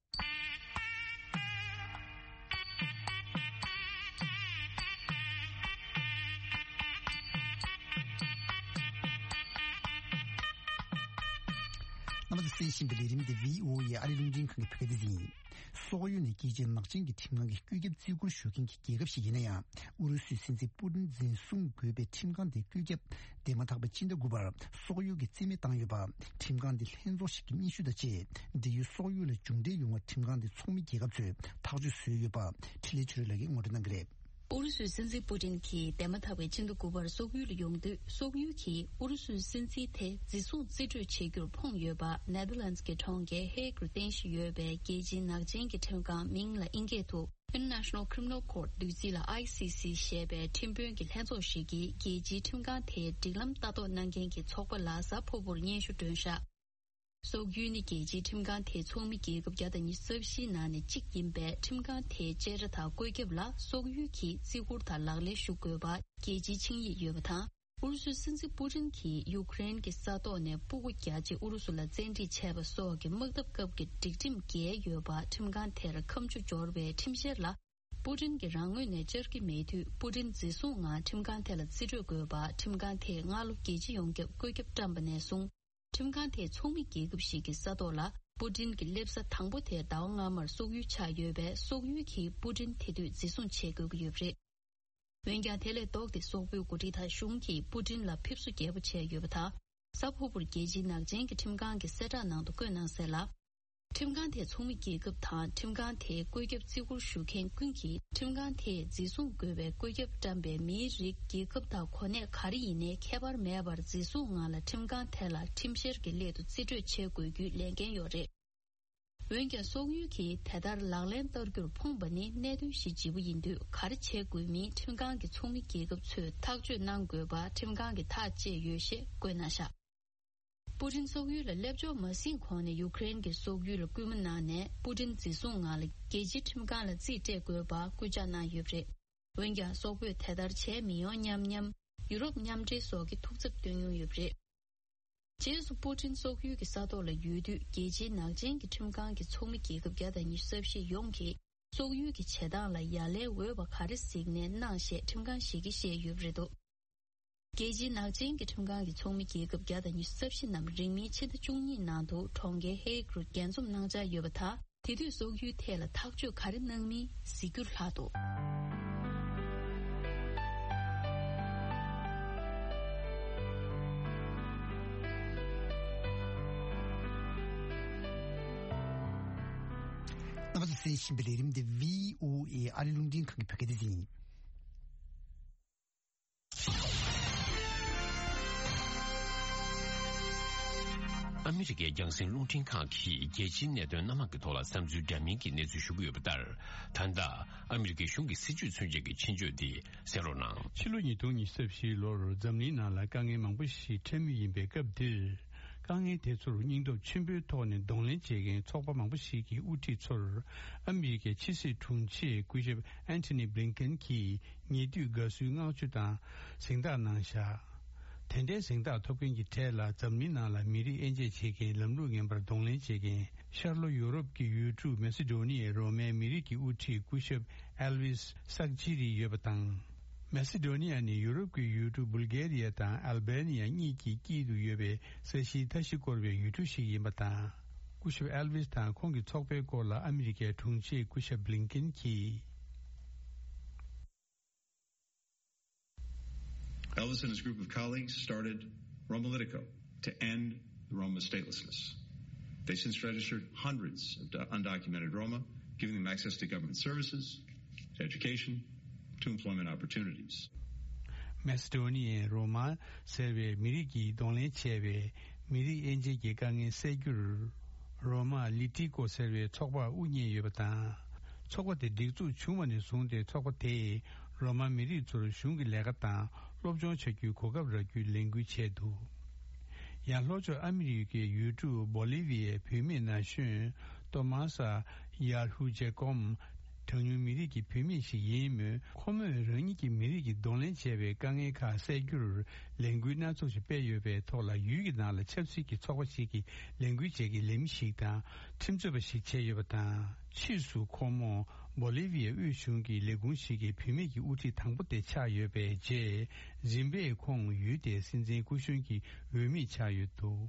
རྣམ་པ་ཚོས་གསན་བཞིན་པའི་ལས་རིམ་འདི་བྷི་ཨོ་ཨེ་ཨ་རི་རླུང་འཕྲིན་ཁང་གི་བོད་སྐད་སྡེ་ཚན་ཡིན། སོག་ཡུལ་ནས་རྒྱལ་སྤྱིའི་ནག་ཅན་གྱི་ཁྲིམས་ཁང་གི་བཀོད་ཁྱབ་བརྩི་བཀུར་ཞུ་མཁན་གྱི་རྒྱལ་ཁབ་ཞིག་ཡིན་ན་ཡང་། ཨུ་རུ་སུའི་སྲིད་འཛིན་པུ་ཏིན་འཛིན་བཟུང་དགོས་པའི་ཁྲིམས་ཁང་དེའི་བཀོད་ཁྱབ་འདས་མ་ཐག་པའི་ཕྱི་ཟླ་དགུ་པར་སོག་ཡུལ་གྱིས་རྩིས་མེད་བཏང་ཡོད་པ། ཁྲིམས་ཁང་དེ་ལྷན་ཚོགས་ཤིག་གི་སྙན་ཞུ་དང་བཅས། འབྲེལ་ཡོད་སོག་ཡུལ་ལ་མཇུག་འབྲས་ཡོང་བར་ཁྲིམས་ཁང་དེའི་ཚོགས་མི་རྒྱལ་ཁབ་ཚོས་ཐག་གཅོད་བཟོས་ཡོད་པ། འཕྲིན་ལས་ཆོས་སྒྲོན་ལགས་ཀྱིས་ངོ་སྤྲོད་གནང་གི་རེད། ཨུ་རུ་སུའི་སྲིད་འཛིན་པུ་ཏིན་གྱིས་འདས་མ་ཐག་པའི་ཕྱི་ཟླ་དགུ་པར་སོག་ཡུལ་ལ་ཡོང་དུས། སོག་ཡུལ་གྱིས་ཨུ་རུ་སུའི་སྲིད་འཛིན་དེ་འཛིན་བཟུང་རྩིས་སྤྲོད་བྱེད་རྒྱུར་ཕོངས་ཡོད་པ། ནེ་དར་ལན་སི་གི་གྲོང་ཁྱེར་ཧེག་རུ་རྟེན་གཞི་ཡོད་པའི་རྒྱལ་སྤྱིའི་ནག་ཅན་གྱི་ཁྲིམས་ཁང་། མིང་ལ་དབྱིན་སྐད་དུ་International Criminal Court། བསྡུས་ཚིག་ལ་ཨའི་སི་སི་ཞེས་པའི་ཁྲིམས་དཔོན་གྱི་ལྷན་ཚོགས་ཤིག་གིས་རྒྱལ་སྤྱིའི་ཁྲིམས་ཁང་དེའི་སྒྲིག་ལམ་ལྟ་རྟོག་གནང་མཁན་གྱི་ཚོགས་པ་ལ་གཟའ་ཕུར་བུར་སྙན་ཞུ་བསྐྲུན་བཞག་སོག་ཡུལ་ནི་རྒྱལ་སྤྱིའི་ཁྲིམས་ཁང་དེའི་ཚོགས་མི་རྒྱལ་ཁབ་བརྒྱ་དང་ཉི་ཤུ་རྩ་བཞིའི་ནང་ནས་གཅིག་ཡིན་པས། ཁྲིམས་ཁང་དེའི་བཅད་ཁྲ་དང་བཀོད་ཁྱབ་ལ་སོག་ཡུལ་གྱིས་བརྩི་བཀུར་དང་ལག་ལེན་ཞུ་དགོས་པ་རྒྱལ་སྤྱིའི་ཆིངས་ཡིག་ཡོད་པ་དང་། ཨུ་རུ་སུའི་སྲིད་འཛིན་པུ་ཏིན་གྱིས་ཡུ་ཀེ་རེན་གྱི་ས་ཐོག་ནས་སྤུ་གུ་བརྒྱ་ཅིག་ཨུ་རུ་སུ་ལ་བཙན་ཁྲིད་བྱས་པ་སོགས་ཀྱི་དམག་འཐབ་སྐབས་ཀྱི་སྒྲིག་ཁྲིམས་འགལ་ཡོད་པ། ཁྲིམས་ཁང་དེར་ཁ་མཆུ་སྦྱོར་བའི་ཁྲིམས་བཤེར་ལ་པུ་ཏིན་གྱིས་རང་ངོས་ནས་བཅར་གྱི་མེད་དུས། པུ་ཏིན་འཛིན་བཟུང་ངང་ཁྲིམས་ཁང་དེ་ལ་རྩིས་སྤྲོད་དགོས་པ། ཁྲིམས་ཁང་དེས་སྔ་ལོ་རྒྱལ་སྤྱི་ཡོངས་ཁྱབ་བཀོད་ཁྱབ་བཀྲམ་པ་ནས་བཟུང་། ཁྲིམས་ཁང་དེའི་ཚོགས་མི་རྒྱལ་ཁབ་ཞིག་གི་ས་ཐོག་ལ་པུ་ཏིན་གྱི་སླེབས་ས་དང་པོ་དེ་ཟླ་བ་སྔ་མར་སོག་ཡུལ་ཆགས་ཡོད་པས། སོག་ཡུལ་གྱིས་པུ་ཏིན་དེ་དུས་འཛིན་བཟུང་བྱེད་དགོས་ཀྱི་ཡོད་པ་རེད། འོན་ཀྱང་། དེ་ལས་ལྡོག་སྟེ་སོག་པོའི་འགོ་ཁྲིད་དང་གཞུང་གིས་པུ་ཏིན་ལ་ཕེབས་བསུ་རྒྱས་པོ་བྱས་ཡོད་པ་དང་། གཟའ་ཕུར་བུར་རྒྱལ་སྤྱིའི་ནག་ཅན་གྱི་ཁྲིམས་ཁང་གི་གསལ་བསྒྲགས་ནང་དུ་བཀོད་གནང་གསལ་ལ། ཁྲིམས་ཁང་དེའི་ཚོགས་མི་རྒྱལ་ཁབ་དང་། ཁྲིམས་ཁང་དེའི་བཀོད་ཁྱབ་བརྩི་བཀུར་ཞུ་མཁན་ཀུན་གྱིས། ཁྲིམས་ཁང་དེས་འཛིན་བཟུང་དགོས་པའི་བཀོད་ཁྱབ་བཀྲམ་པའི་མིའི་རིགས། རྒྱལ་ཁབ་དང་གོ་གནས་ག་རེ་ཡིན་ནའི་ཁྱད་པར་མེད་པར། འཛིན་བཟུང་ངང་ལ་ཁྲིམས་ཁང་དེ་ལ་ཁྲིམས་བཤེར་གྱི་སླད་དུ་རྩིས་སྤྲོད་བྱེད་དགོས་རྒྱུའི་ལས་འགན་ཡོད་རེད། འོན་ཀྱང་། སོག་ཡུལ་གྱིས་དེ་ལྟར་ལག་ལེན་བསྟར་རྒྱུར་ཕོངས་པ་ནི་གནད་དོན་གཞི་ལྗིད་པོ་ཡིན་དུས། ག་རེ་བྱེད་དགོས་མིན་ཁྲིམས་ཁང་གི་ཚོགས་མི་རྒྱལ་ཁབ་ཚོས་ཐག་གཅོད་གནང་དགོས་པ། ཁྲིམས་ཁང་གིས་ཐག་བཅད་ཡོད་ཞེས་བཀོད་གནང་བཞག་པུ་ཏིན་སོག་ཡུལ་ལ་སླེབས་ཕྱོགས་མ་ཟིན་གོང་ནས་ཡུ་ཀེ་རེན་གྱིས་སོག་ཡུལ་ལ་སྐུལ་མ་གནང་ནས། པུ་ཏིན་འཛིན་བཟུང་ངང་ལ་རྒྱལ་སྤྱིའི་ཁྲིམས་ཁང་ལ་རྩིས་སྤྲད་དགོས་པ་སྐུལ་ལྕག་གནང་ཡོད་པ་རེད། འོན་ཀྱང་། སོག་པོས་དེ་ལྟར་བྱས་མི་ཡོང་སྙམ་སྙམ། ཡུ་རོབ་མཉམ་འབྲེལ་སོགས་ཀྱིས་ཐུགས་འཚབ་བཏོན་མྱོང་ཡོད་པ་རེད། རྗེས་སུ་པུ་ཏིན་སོག་ཡུལ་གྱི་ས་ཐོག་ལ་ཡོད་དུས། རྒྱལ་སྤྱིའི་ནག་ཅན་གྱི་ཁྲིམས་ཁང་གི་ཚོགས་མི་རྒྱལ་ཁབ་བརྒྱ་དང་ཉི་ཤུ་རྩ་བཞི་ཡོངས་ཀྱིས། སོག་ཡུལ་གྱི་བྱེད་སྟངས་ལ་ཡ་ལན་འོས་པ་ག་རེ་གཟིགས་ནས་གནང་ཞེས་ཁྲིམས་ཁང་ཞིག་གིས་བཤད་ཡོད་པ་རེད་འདུག་རྒྱལ་སྤྱིའི་ནག་ཅན་གྱི་ཁྲིམས་ཁང་གི་ཚོགས་མི་རྒྱལ་ཁབ་བརྒྱ་དང་ཉི་ཤུ་རྩ་བཞི་རྣམས་རིང་མིན་ཕྱི་ཟླ་བཅུ་གཉིས་ནང་དུ་གྲོང་ཁྱེར་ཧེ་ཨིག་རུ་རྒྱས་འཛོམས་གནང་འཆར་ཡོད་པ་དང་། དེ་དུས་སོག་ཡུལ་ཐད་ལ་ཐག་གཅོད་ག་རེ་གནང་མིན་གཟིགས་རྒྱུར་ལྷག་འདུག། རྣམ་པ་ཚོས་གསན་བཞིན་པའི་ལས་རིམ་འདི་བྷི་ཨོ་ཨེ་ཨ་རི་རླུང་འཕྲིན་ཁང་གི་བོད་སྐད་སྡེ་ཚན་ཡིན། ཨ་མི་རི་ཀའི་རྒྱང་སྲིང་རླུང་འཕྲིན་ཁང་གིས་རྒྱལ་སྤྱིའི་གནད་དོན་སྣ་མང་གི་ཐོག་ལ་བསམ་ཚུལ་འདྲ་མིན་གྱི་གནས་ཚུལ་ཞུ་གི་ཡོད་པ་ལྟར། ད་ལྟ་ཨ་མི་རི་ཀའི་གཞུང་གི་སྲིད་ཇུས་མཚོན་བྱེད་ཀྱི་ཆེད་བརྗོད་འདི་གསན་རོགས་གནང་། ཕྱི་ལོ་ཉིས་སྟོང་ཉི་ཤུ་རྩ་བཞིའི་ལོར་འཛམ་གླིང་ནང་ལ་དཀའ་ངལ་མང་པོ་ཞིག་འཕྲད་མུས་ཡིན་པའི་སྐབས་འདིར། དཀའ་ངལ་དེ་ཚོར་སྙིང་སྟོབས་ཆེན་པོའི་ཐོག་ནས་གདོང་ལེན་བྱེད་མཁན་ཚོགས་པ་མང་པོ་ཞིག་གི་དབུ་ཁྲིད་ཚོར་ཨ་མི་རི་ཀའི་ཕྱི་སྲིད་དྲུང་ཆེ་སྐུ་ཞབས་ཨན་ཐོ་ནི་བྷི་ལིན་ཀེན་གྱིས་ཉེ་དུས་དགའ་བསུའི་བསྔགས་བརྗོད་དང་གཟེངས་རྟགས་གནང་བཞག། དེ་འདྲའི་གཟེངས་རྟགས་ཐོབ་མཁན་གྱི་གྲས་ལ་འཛམ་གླིང་ནང་ལ་མི་རིགས་དབྱེ་འབྱེད་བྱེད་མཁན་ལམ་ལུགས་ངན་པར་གདོང་ལེན་བྱེད་མཁན་ཤར་ལྷོ་ཡུ་རོབ་ཀྱི་ཡུལ་གྲུ་མེ་སི་ཌོ་ནི་ཡའི་རོ་མའི་མི་རིགས་ཀྱི་དབུ་ཁྲིད་སྐུ་ཞབས་ཨེལ་ཝིས་སག་ཅི་རི་ཡོད་པ་དང་། མེ་སི་ཌོ་ནི་ཡ་ནི་ཡུ་རོབ་ཀྱི་ཡུལ་གྲུ་བུལ་གྷེ་རི་ཡ་དང་ཨལ་བྷེ་ནི་ཡ་གཉིས་ཀྱི་དཀྱིལ་དུ་ཡོད་པའི་ས་གཞིའི་མཐའ་བཞི་བསྐོར་བའི་ཡུལ་གྲུ་ཞིག་ཡིན་པ་དང་། སྐུ་ཞབས་ཨེལ་ཝིས་དང་ཁོང་གི་ཚོགས་པའི་སྐོར་ལ་ཨ་མི་རི་ཀའི་དྲུང་ཆེ་སྐུ་ཞབས་བྷི་ལིན་ཀེན་གྱིས། Elvis and his group of colleagues started Roma Litico to end the Roma statelessness. They since registered hundreds of do- undocumented Roma, giving them access to government services, to education, to employment opportunities. མེ་སི་ཌོ་ནི་ཡའི་རོ་མ་ཟེར་བའི་མི་རིགས་ཀྱིས་གདོང་ལེན་བྱས་པའི་མི་རིགས་དབྱེ་འབྱེད་ཀྱི་དཀའ་ངལ་སེལ་རྒྱུར། རོ་མ་ལི་ཏི་ཀོ་ཟེར་བའི་ཚོགས་པ་དབུ་བརྙེས་ཡོད་པ་དང་། ཚོགས་པ་དེ་སྒྲིག་འཛུགས་བྱུང་བ་ནས་བཟུང་སྟེ་ཚོགས་པ་དེས་རོ་མ་མི་རིགས་ཚོར་གཞུང་གི་ལས་ཀ་དང་སློབ་སྦྱོང་བྱ་རྒྱུའི་གོ་སྐབས་རག་རྒྱུའི་ལས་འགུལ་བྱས་འདུག། ཡང་ལྷོ་ཕྱོགས་ཨ་མི་རི་ཀའི་ཡུལ་གྲུ་བོ་ལི་བི་ཡའི་བུད་མེད་ན་གཞོན་ཏོ་མ་ས་ཡར་ཧུ་ཇེ་ཀོམ། གྲངས་ཉུང་མི་རིགས་ཀྱི་བུད་མེད་ཞིག་ཡིན་མོད། ཁོ་མོས་རང་ཉིད་ཀྱི་མི་རིགས་ཀྱིས་གདོང་ལེན་བྱས་པའི་དཀའ་ངལ་ཁག་སེལ་རྒྱུར་ལས་འགུལ་སྣ་ཚོགས་ཤིག་སྤེལ་ཡོད་པའི་ཐོག་ལ། ཡུལ་གྱི་ནང་ལ་ཆབ་སྲིད་ཀྱི་ཚོགས་པ་ཞིག་གིས་ལས་འགུལ་བྱེད་ཀྱི་ལས་མི་ཞིག་དང་ཁྲིམས་རྩོད་པ་ཞིག་བྱས་ཡོད་པ་དང་། ཕྱིས་སུ་ཁོ་མོ་བོ་ལི་བི་ཡའི་དབུས་གཞུང་གི་ལས་ཁུངས་ཤིག་གི་བུད་མེད་ཀྱི་དབུ་ཁྲིད་དང་པོ་དེ་ཆགས་ཡོད་པའི་རྗེས། རིམ་པས་ཁོང་ཡུལ་དེའི་སྲིད་འཛིན་སྐུ་གཞོན་གྱི་འོས་མི་ཆགས་ཡོད་འདུག།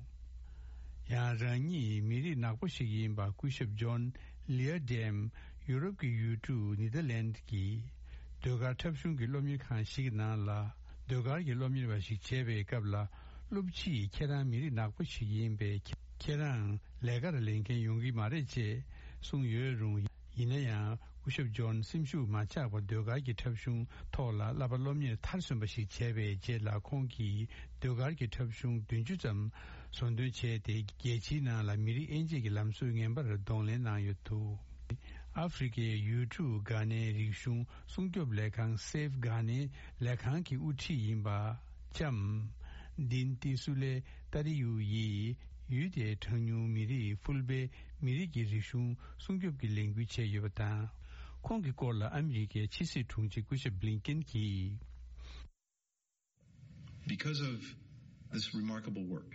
ཡང་རང་ཉིད་མི་རིགས་ནག་པོ་ཞིག་ཡིན་པ་སྐུ་ཞབས་ཇོན་ལི་ཨ་ཌེམ། ཡུ་རོབ་ཀྱི་ཡུལ་གྲུ་ནི་ཐར་ལན་གྱི་ཟློས་གར་འཁྲབ་གཞུང་གི་སློབ་གཉེར་ཁང་ཞིག་གི་ནང་ལ་ཟློས་གར་གྱི་སློབ་གཉེར་བ་ཞིག་བྱས་པའི་སྐབས་ལ། སློབ་སྤྱིས་ཁྱེད་རང་མི་རིགས་ནག་པོ་ཞིག་ཡིན་པས། ཁྱེད་རང་ལས་ཀར་ལེན་མཁན་ཡོང་གི་མ་རེད་ཅེས་གསུངས་ཡོད་རུང་། ཡིན་ན་ཡང་། སྐུ་ཞབས་ཇོན་སེམས་ཤུགས་མ་ཆག་པར་ཟློས་གར་གྱི་འཁྲབ་གཞུང་ཐོག་ལ་བསླབ་པ་སློབ་གཉེར་མཐར་སོན་པ་ཞིག་བྱས་པའི་རྗེས་ལ། ཁོང་གིས་ཟློས་གར་གྱི་འཁྲབ་གཞུང་བདུན་ཅུ་ཙམ་བཟོ་འདོན་བྱས་ཏེ། རྒྱལ་སྤྱིའི་ནང་ལ་མི་རིགས་དབྱེ་འབྱེད་ཀྱི་ལམ་སྲོལ་ངན་པར་གདོང་ལེན་གནང་ཡོད་འདུག། ཨ་ཧྥེ་རི་ཁའི་ཡུལ་གྲུ་གྷ་ནའི་རིག་གཞུང་སྲུང་སྐྱོབ་ལས་ཁང་Save Ghana ལས་ཁང་གི་དབུ་ཁྲིད་ཡིན་པ། ལྕམ། དིན་ཏི་སུ་ལེ་ཏ་རི་ཡུ་ཡིས་ཡུལ་དེའི་གྲངས་ཉུང་མི་རིགས་ཕུལ་བེ་མི་རིགས་ཀྱི་རིག་གཞུང་སྲུང་སྐྱོབ་ཀྱི་ལས་འགུལ་བྱས་ཡོད་པ་དང་། ཁོང་གི་སྐོར་ལ་ཨ་མི་རི་ཀའི་ཕྱི་སྲིད་དྲུང་ཆེ་སྐུ་ཞབས་བྷི་ལིན་ཀེན་གྱིས། Because of this remarkable work,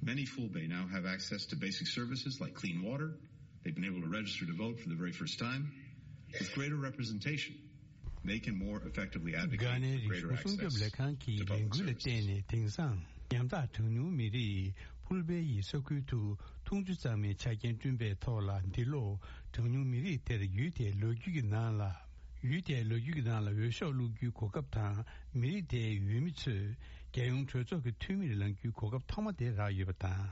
many Fulbe now have access to basic services like clean water. They've been able to register to vote for the very first time. With greater representation, they can more effectively advocate for greater access to public services. གྷ་ནའི་རིག་གཞུང་སྲུང་སྐྱོབ་ལས་ཁང་གིས་ལས་འགུལ་ལ་བརྟེན་ནས། དེང་སང་ཉམ་ཐག་གྲངས་ཉུང་མི་རིགས་ཕུལ་བེ་ཡི་ས་ཁུལ་དུ་འཐུང་ཆུ་གཙང་མའི་ཆ་རྐྱེན་བསྐྲུན་པའི་ཐོག་ལ། འདི་ལོ་གྲངས་ཉུང་མི་རིགས་དེར་ཡུལ་དེའི་ལོ་རྒྱུས་ཀྱི་ནང་ལ། ཡུལ་དེའི་ལོ་རྒྱུས་ཀྱི་ནང་ལ་འོས་ཤོག་བླུག་རྒྱུའི་གོ་སྐབས་དང་། མི་རིགས་དེའི་འོས་མི་ཚོས་རྒྱལ་ཡོངས་གྲོས་ཚོགས་ཀྱི་འཐུས་མིར་ལངས་རྒྱུའི་གོ་སྐབས་ཐོག་མ་དེ་རག་ཡོད་པ་དང་།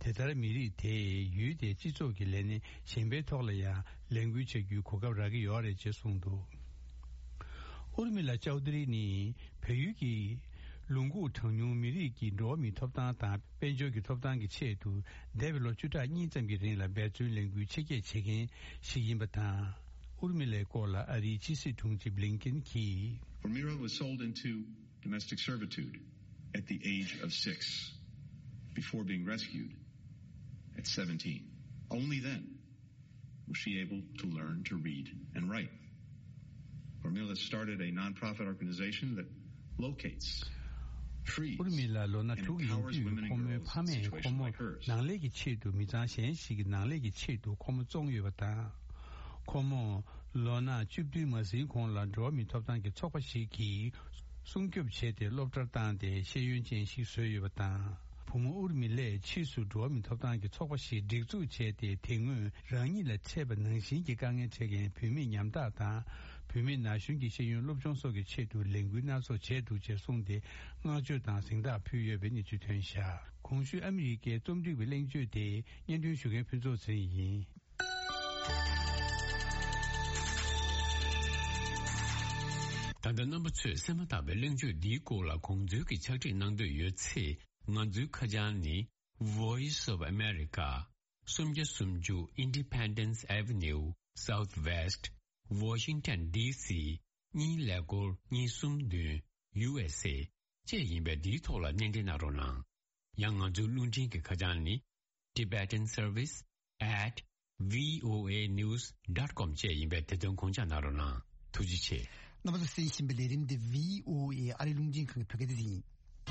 དེ་ལྟར་མི་རིགས་དེས་ཡུལ་དེའི་སྤྱི་ཚོགས་ཀྱི་ལས་སྣེ་གཞན་པའི་ཐོག་ལ་ཡང་ལས་འགུལ་བྱ་རྒྱུའི་གོ་སྐབས་རག་གི་ཡོད་རེད་ཅེས་གསུངས་འདུག། ཨུར་མི་ལ་ཅའུ་ཏི་རི་ནི་བལ་ཡུལ་གྱི་ལུང་ཁུག་གྲངས་ཉུང་མི་རིགས་ཀྱི་འགྲོ་བ་མིའི་ཐོབ་ཐང་དང་། དཔལ་འབྱོར་གྱི་ཐོབ་ཐང་གི་ཆེད་དུ། འདས་པའི་ལོ་བཅུ་ཕྲག་གཉིས་ཙམ་གྱི་རིང་ལ་འབད་བརྩོན་ལས་འགུལ་ཆེ་བསྐྱེད་བྱེད་མཁན་ཞིག་ཡིན་པ་དང་། ཨུར་མི་ལའི་སྐོར་ལ་ཨ་རིའི་ཕྱི་སྲིད་དྲུང་ཆེ་བྷི་ལིན་ཀེན་གྱིས། Urmila was sold into domestic servitude at the age of six, before being rescued at seventeen. Only then was she able to learn to read and write. Urmila started a non-profit organization that locates, frees, ཨུར་མི་ལ་ལོ་ན་དྲུག་ཡིན་དུས། ཁོ་མོའི་ཕ་མས་ཁོ་མོ་ནང་ལས་ཀྱི་ཆེད་དུ། མི་ཚང་གཞན་ཞིག་གི་ནང་ལས་ཀྱི་ཆེད་དུ་ཁོ་མོ་བཙོངས་ཡོད་པ་དང་། ཁོ་མོ་ལོ་ན་བཅུ་བདུན་མ་ཟིན་གོང་ལ་འགྲོ་བ་མིའི་ཐོབ་ཐང་གི་ཚོགས་པ་ཞིག་གིས། སྲུང་སྐྱོབ་བྱས་ཏེ་སློབ་གྲྭར་བཏང་སྟེ་ཤེས་ཡོན་ཅན་ཞིག་བཟོས་ཡོད་པ་དང་། བུ་མོ་ཨུར་མི་ལས་ཕྱིས་སུ་འགྲོ་བ་མིའི་ཐོབ་ཐང་གི་ཚོགས་པ་ཞིག་སྒྲིག་འཛུགས་བྱས་ཏེ། དེ་སྔོན་རང་ཉིད་ལ་འཕྲད་པ་ནང་བཞིན་གྱི་དཀའ་ངལ་འཕྲད་མཁན་བུད་མེད་ཉམ་ཐག་དང་། བུད་མེད་ན་གཞོན་གྱི་ཤེས་ཡོན་སློབ་སྦྱོང་སོགས་ཀྱི་ཆེད་དུ་ལས་འགུལ་སྣ་ཚོགས་བྱས་འདུག་ཅེས་གསུངས་ཏེ། བསྔགས་བརྗོད་དང་གཟེངས་རྟགས་ཕུལ་ཡོད་པའི་གནས་ཚུལ་ཐོན་བཞག་གོང་ཞུས་ཨ་མི་རི་ཀའི་རྩོམ་སྒྲིག་པའི་གླེང་བརྗོད་དེ་སྙན་སྒྲོན་ཞུ་མཁན་ཕུན་ཚོགས་ཚེ་རིང་ཡིན། ད་ལྟ་རྣམ་པ་ཚོས་གསན་མ་ཐག་པའི་གླེང་བརྗོད་འདིའི་སྐོར་ལ་དགོངས་ཚུལ་གྱི་ཕྱག་བྲིས་གནང་འདོད་ཡོད་ཚེ། ང་ཚོའི་ཁ་བྱང་ནི། Voice of America། སུམ་བརྒྱ་སུམ་ཅུ་Independence Avenue Southwest Washington D C གཉིས་ཀླད་ཀོར་གཉིས་གསུམ་བདུན། U S A བཅས་ཡིན་པས། འདིའི་ཐོག་ལ་སྣེ་འདྲེན་གནང་རོགས་གནང་། ཡང་ང་ཚོའི་རླུང་འཕྲིན་གྱི་ཁ་བྱང་ནི། Tibetan Service at V O A News dot com བཅས་ཡིན་པས། དེ་དོན་དགོངས་འཇགས་གནང་རོགས་གནང་། ཐུགས་རྗེ་ཆེ། རྣམ་པ་ཚོས་གསན་བཞིན་པའི་ལས་རིམ་འདི་V O A ཨ་རིའི་རླུང་འཕྲིན་ཁང་གི་བོད་སྐད་སྡེ་ཚན་ཡིན།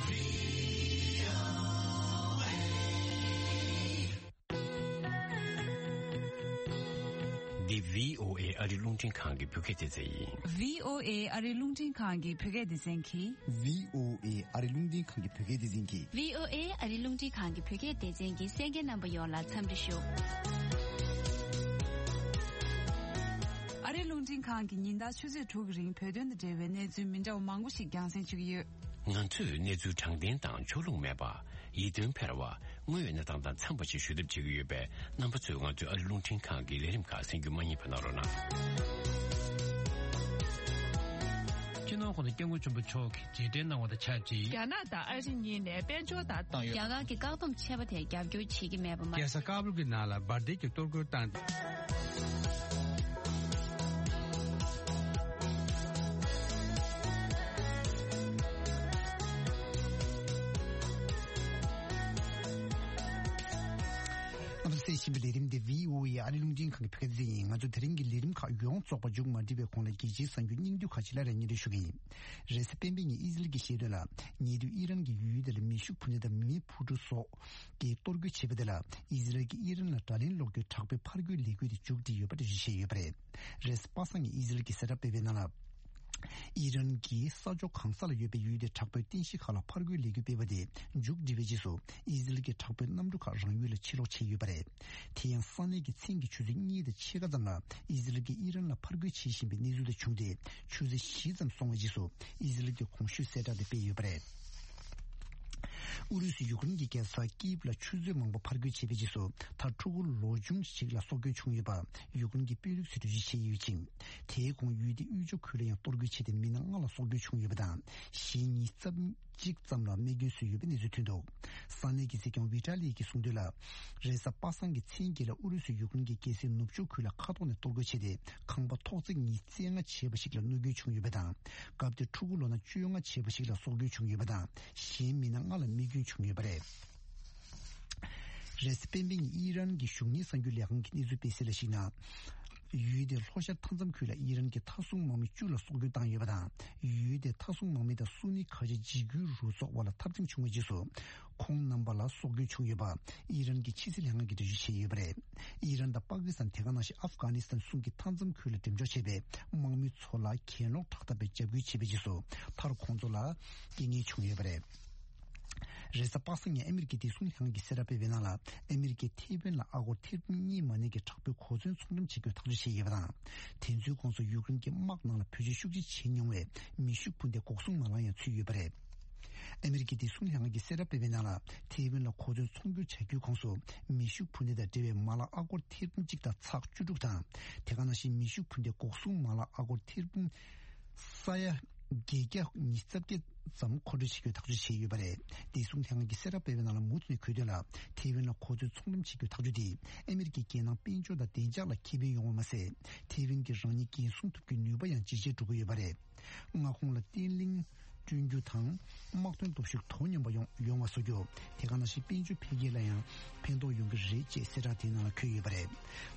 འདི་V O A ཨ་རིའི་རླུང་འཕྲིན་ཁང་གི་བོད་སྐད་སྡེ་ཚན་ཡིན། V O A ཨ་རིའི་རླུང་འཕྲིན་ཁང་གི་བོད་སྐད་སྡེ་ཚན་གྱིས། V O A ཨ་རིའི་རླུང་འཕྲིན་ཁང་གི་བོད་སྐད་སྡེ་ཚན་གྱིས། V O A ཨ་རིའི་རླུང་འཕྲིན་ཁང་གི་བོད་སྐད་སྡེ་ཚན་གྱི་གསན་མཁན་རྣམ་པ་ཡོངས་ལ་འཚམས་འདྲི་ཞུ། ཨ་རིའི་རླུང་འཕྲིན་ཁང་གིས་ཉིན་ལྟར་ཆུ་ཚོད་དྲུག་གི་རིང་བོད་དོན་དང་འབྲེལ་བའི་གནས་ཚུལ་མི་འདྲ་བ་མང་པོ་ཞིག་རྒྱང་སྲིང་ཞུ་གི་ཡོད། ང་ཚོས་གནས་ཚུལ་དྲང་བདེན་དང་ཕྱོགས་ལྷུང་མེད་པ། ཡིད་རྟོན་འཕེར་བ། དངོས་ཡོད་གནས་སྟངས་དང་འཚམས་པ་ཞིག་ཞུ་ཐབས་བྱེད་ཀྱི་ཡོད་པས། རྣམ་པ་ཚོས་ང་ཚོའི་ཨ་རིའི་རླུང་འཕྲིན་ཁང་གི་ལས་རིམ་ཁག་གསན་རྒྱུ་མ་བསྙེལ་བ་གནང་རོགས་གནང་། སྤྱི་ནོར་༸གོང་ས་༸སྐྱབས་མགོན་ཆེན་པོ་མཆོག་གིས་རྗེས་དྲན་གནང་བ་དང་ཆབས་ཅིག་རྒྱ་ནག་དང་ཨ་རི་གཉིས་ནས་དཔལ་འབྱོར་དང་བཏང་ཡོད། རྒྱ་གར་གྱི་བཀག་སྡོམ་ཆད་པ་དེར་རྒྱབ་སྐྱོར་བྱེད་ཀྱི་མེད་པ་མ། རྒྱལ་ས་ཀ་བུལ་གྱི་ནང་ལ་འབར་མདེལ་གྱི་གཏོར་རྒོལ་བཏང་སྟེ། རྣམ་པ་ཚོས་གསན་བཞིན་པའི་ལས་རིམ་འདི་V O A ཨ་རིའི་རླུང་འཕྲིན་ཁང་གི་བོད་སྐད་སྡེ་ཚན་ཡིན། ང་ཚོ་དེ་རིང་གི་ལས་རིམ་ཁག་ཡོངས་རྫོགས་པ་མཇུག་མ་སྒྲིལ་བའི་གོང་ལ་རྒྱལ་སྤྱིའི་གསར་འགྱུར་སྙིང་བསྡུས་ཁག་ཅིག་སླར་ཡང་སྙན་སྒྲོན་ཞུ་གི་ཡིན། རེས་གཟའ་སྤེན་པའི་ཉིན་ཨི་ཟི་རལ་གྱི་ཤེས་དོན་ལ། ཉེ་དུས་ཨི་རན་གྱིས་ཡུལ་དེ་ལ་མེ་ཤུགས་འཕུར་གྲུ་སོགས་ཀྱིས་གཏོར་རྒོལ་བྱས་པ་དེ་ལ། ཨི་ཟི་རལ་གྱིས་ཨི་རན་ལ་དགྲ་ལན་སློག་རྒྱུའི་དྲག་པོའི་ཕར་རྒོལ་ལས་འགུལ་དེ་མཇུག་བསྒྲིལ་ཡོད་པ་འགྲེལ་བརྗོད་བྱས་ཡོད་པ་རེད། རེས་གཟའ་པ་སངས་ཉིན་ཨི་ཟི་རལ་གྱིས་གསལ་བསྒྲགས་སྤེལ་བའི་ནང་ལ། ཨི་རན་གྱིས་ས་ཕྱོགས་གང་ས་ལ་ཡོད་པའི་ཡུལ་དེའི་དྲག་པོའི་རྟེན་གཞི་ཁག་ལ་ཕར་རྒོལ་ལས་འགུལ་སྤེལ་བ་དེ་མཇུག་བསྒྲིལ་བའི་རྗེས་སུ། ཨི་ཟི་རལ་གྱི་དྲག་པོའི་གནམ་གྲུ་ཁག་རང་ཡུལ་ལ་ཕྱིར་ལོག་བྱས་ཡོད་པ་རེད། དེ་ཡང་ས་གནས་ཀྱི་མཚན་གྱི་ཆུ་ཚོད་གཉིས་དང་ཕྱེད་ཀ་ཙམ་ལ་ཨི་ཟི་རལ་གྱིས་ཨི་རན་ལ་ཕར་རྒོལ་བྱེད་བཞིན་པའི་གནས་ཚུལ་དེ་བྱུང་སྟེ། ཆུ་ཚོད་བཞི་ཙམ་སོང་བའི་རྗེས་སུ་ཨི་ཟི་རལ་གྱིས་གོང་ཞུས་གསལ་བསྒྲགས་དེ་སྤེལ་ཡོད་པ་རེད། ཨུ་རུ་སུས་ཡུཀ་རེན་གྱི་རྒྱལ་ས་ཀིབ་ལ་ཆུ་ཚོད་མང་པོ་ཕར་རྒོལ་བྱས་པའི་རྗེས་སུ། མཐར་ཕྲུ་གུ་ལོ་ཆུང་ཞིག་ལ་སྲོག་སྐྱོན་བྱུང་ཡོད་པ་ཡུཀ་རེན་གྱི་དཔོན་རིགས་ཚོས་འགྲེལ་བརྗོད་བྱས་ཡོད་ཅིང་། དེའི་གོང་ཡུལ་དེའི་དབུས་ཕྱོགས་ཁུལ་ལ་ཡང་གཏོར་རྒོལ་བྱས་ཏེ། མི་སྣ་ལྔ་ལ་སྲོག་སྐྱོན་བྱུང་ཡོད་པ་དང་། གཞན་ཉིས་རྩ་གཅིག་ཙམ་ལ་རྨས་སྐྱོན་བཟོས་ཡོད་པའི་གནས་ཚུལ་ཐོན་འདུག་ས་གནས་ཀྱི་སྲིད་སྐྱོང་ཝི་ཏཱ་ལི་ཡིས་གསུངས་དོན་ལ། རེས་གཟའ་པ་སངས་ཀྱི་མཚན་དགུ་ལ་ཨུ་རུ་སུས་ཡུཀ་རེན་གྱི་རྒྱལ་སའི་ནུབ་ཕྱོགས་ཁུལ་ལ་མཁའ་ཐོག་ནས་གཏོར་རྒོལ་བྱས་ཏེ། ཁང་པ་ཐོག་བརྩེགས་ཉིས་རྩ་ལྔ་བྱས་པ་ཞིག་ལ་གནོད་སྐྱོན་བྱུང་ཡོད་པ་དང་། སྐབས་དེར་ཕྲུ་གུ་ལོ་ན་བཅོ་ལྔ་བྱས་པ་ཞིག་ལ་སྲོག་སྐྱོན་བྱུང་ཡོད་པ་དང་། གཞན་མི་སྣ་ལྔ་ལ་རྨས་སྐྱོན་བྱུང་ཡོད་པ་རེད། རེས་གཟའ་སྤེན་པའི་ཉིན་ཨི་རན་གྱི་གཞུང་གཉེར་གསར་འགྱུར་ལས་ཁང་གི་གནས་ཚུལ་སྤེལ་གསལ་ལ་གཞིགས་ན། ཡུལ་དེའི་ལྷོ་ཤར་མཐའ་མཚམས་ཁུལ་ལ་ཨི་རན་གྱིས་མཐའ་སྲུང་དམག་མི་བཅུ་ལ་སྲོག་སྐྱོན་བཏང་ཡོད་པ་དང་། ཡུལ་དེའི་མཐའ་སྲུང་དམག་མི་དང་སུ་ནི་ཁ་ཆེ་འཇིགས་སྐུལ་རུ་ཚོགས་དབར་ལ་འཐབ་འཛིང་བྱུང་བའི་རྗེས་སུ། ཁོང་རྣམ་པ་ལ་སྲོག་སྐྱོན་བྱུང་ཡོད་པ། ཨི་རན་གྱི་ཕྱི་སྲིད་ལྷན་ཁང་གིས་འགྲེལ་བརྗོད་བྱས་ཡོད་པ་རེད། ཨི་རན་དང་པ་ཀི་སི་ཐན། དེ་ག་ནང་བཞིན་ཨབ་གྷ་ནི་སི་ཐན་གསུམ་གྱི་མཐའ་མཚམས་ཁུལ་ལ་འགྲེམས་འཇོག་བྱས་པའི་དམག་མི་ཚོ་ལ་གྱེན་ལོག་དྲག་འཐབ་པའི་འཇབ་རྒོལ་བྱས་པའི་རྗེས་སུ། མཐར་ཁོང་ཚོ་ལ་རྐྱེན་ངན་བྱུང་ཡོད་པ་རེད། རེས་གཟའ་པ་སངས་ཉིན་ཨ་མི་རི་ཀའི་བདེ་སྲུང་ལྷན་ཁང་གིས་གསལ་བསྒྲགས་སྤེལ་བའི་ནང་ལ། ཨ་མི་རི་ཀས་ཐེ་ཝན་ལ་ཨ་སྒོར་ཐེར་འབུམ་གཉིས་མ་ནས་ཀྱི་དྲག་པོའི་གོ་མཚོན་ཚོང་འགྲེམས་བྱེད་རྒྱུ་ཐག་གཅོད་བྱས་ཡོད་པ་དང་། དེ་ཚོའི་ཁོངས་སུ་ཡུཀ་རེན་གྱི་དམག་ནང་ལ་བེད་སྤྱོད་ཤུགས་ཆེ་བྱེད་མྱོང་བའི་མེ་ཤུགས་འཕུར་མདའི་འགོག་སྲུང་མ་ལག་ཡང་ཚུད་ཡོད་པ་རེད། ཨ་མི་རི་ཀའི་བདེ་སྲུང་ལྷན་ཁང་གིས་གསལ་བསྒྲགས་སྤེལ་བའི་ནང་ལ། ཐེ་ཝན་ལ་གོ་མཚོན་ཚོང་སྒྱུར་བྱ་རྒྱུའི་ཁོངས་སུ་མེ་ཤུགས་འཕུར་མདའ་དང་འབྲེལ་བའི་མ་ལག་ཨ་སྒོར་ཐེར་འབུམ་གཅིག་དང་ཚེག་བཅུ་དྲུག་དང་། དེ་ག་ནང་བཞིན་མེ་ཤུགས་འཕུར་མདའི་འགོག་སྲུང་མ་ལག་ཨ་སྒོར་ཐེར་འབུམ་ས་ཡ་བརྒྱད་བརྒྱ་ཉི་ཤུ་རྩ་བརྒྱད་ཙམ་མཁོ་སྤྲོད་བྱེད་རྒྱུའི་ཐག་གཅོད་བྱས་ཡོད་པ་རེད། བདེ་སྲུང་ལྷན་ཁང་གིས་གསལ་བསྒྲགས་སྤེལ་བའི་ནང་ལ། མུ་མཐུད་ནས་འཁོད་དོན་ལ། ཐེ་ཝན་ལ་གོ་མཚོན་ཚོང་འགྲེམས་བྱེད་རྒྱུའི་ཐག་གཅོད་དེས་ཨ་མི་རི་ཀའི་རྒྱལ་ནང་དཔལ་འབྱོར་དང་བདེ་འཇགས་ལ་ཁེ་ཕན་ཡོང་བ་མ་ཟད། ཐེ་ཝན་གྱིས་རང་ཉིད་འགན་སྲུང་ཐུབ་རྒྱུའི་ནུས་པ་ཡང་ཇེ་ཆེར་འགྲོ་གི་ཡོད་པ་རེད། མངའ་ཁོངས་ལ་བརྟན་ལྷིང་བསྐྲུན་རྒྱུ་དང་། དམག་དོན་སྟོབས་ཤུགས་དོ་སྙོམས་པ་ཡོང་ཡོང་བ་བཟོ་རྒྱུ། དེ་ག་ནང་བཞིན་དཔལ་འབྱོར་འཕེལ་རྒྱས་ལ་ཡང་ཕན་ཐོགས་ཡོང་གི་རེད་ཅེས་གསལ་བསྒྲགས་དེའི་ནང་ལ་འཁོད་ཡོད་པ་རེད།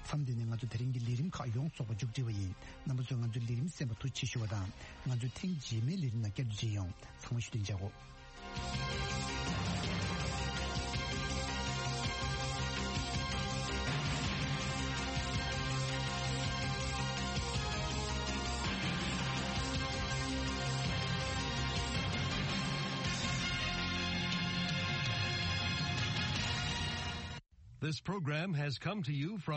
མཚམས་འདི་ནས་ང་ཚོ་དེ་རིང་གི་ལས་རིམ་ཁག་ཡོངས་རྫོགས་པ་མཇུག་སྒྲིལ་བ་ཡིན། རྣམ་པ་ཚོས་ང་ཚོའི་ལས་རིམ་གསན་པར་ཐུགས་རྗེ་ཆེ་ཞུ་བ་དང་། ང་ཚོའི་ཐེངས་རྗེས་མའི་ལས་རིམ་ནང་བསྐྱར་དུ་མཇལ་ཡོང་། ཚང་མ་བཞུགས་གདན་འཇགས་གོ། This program has come to you from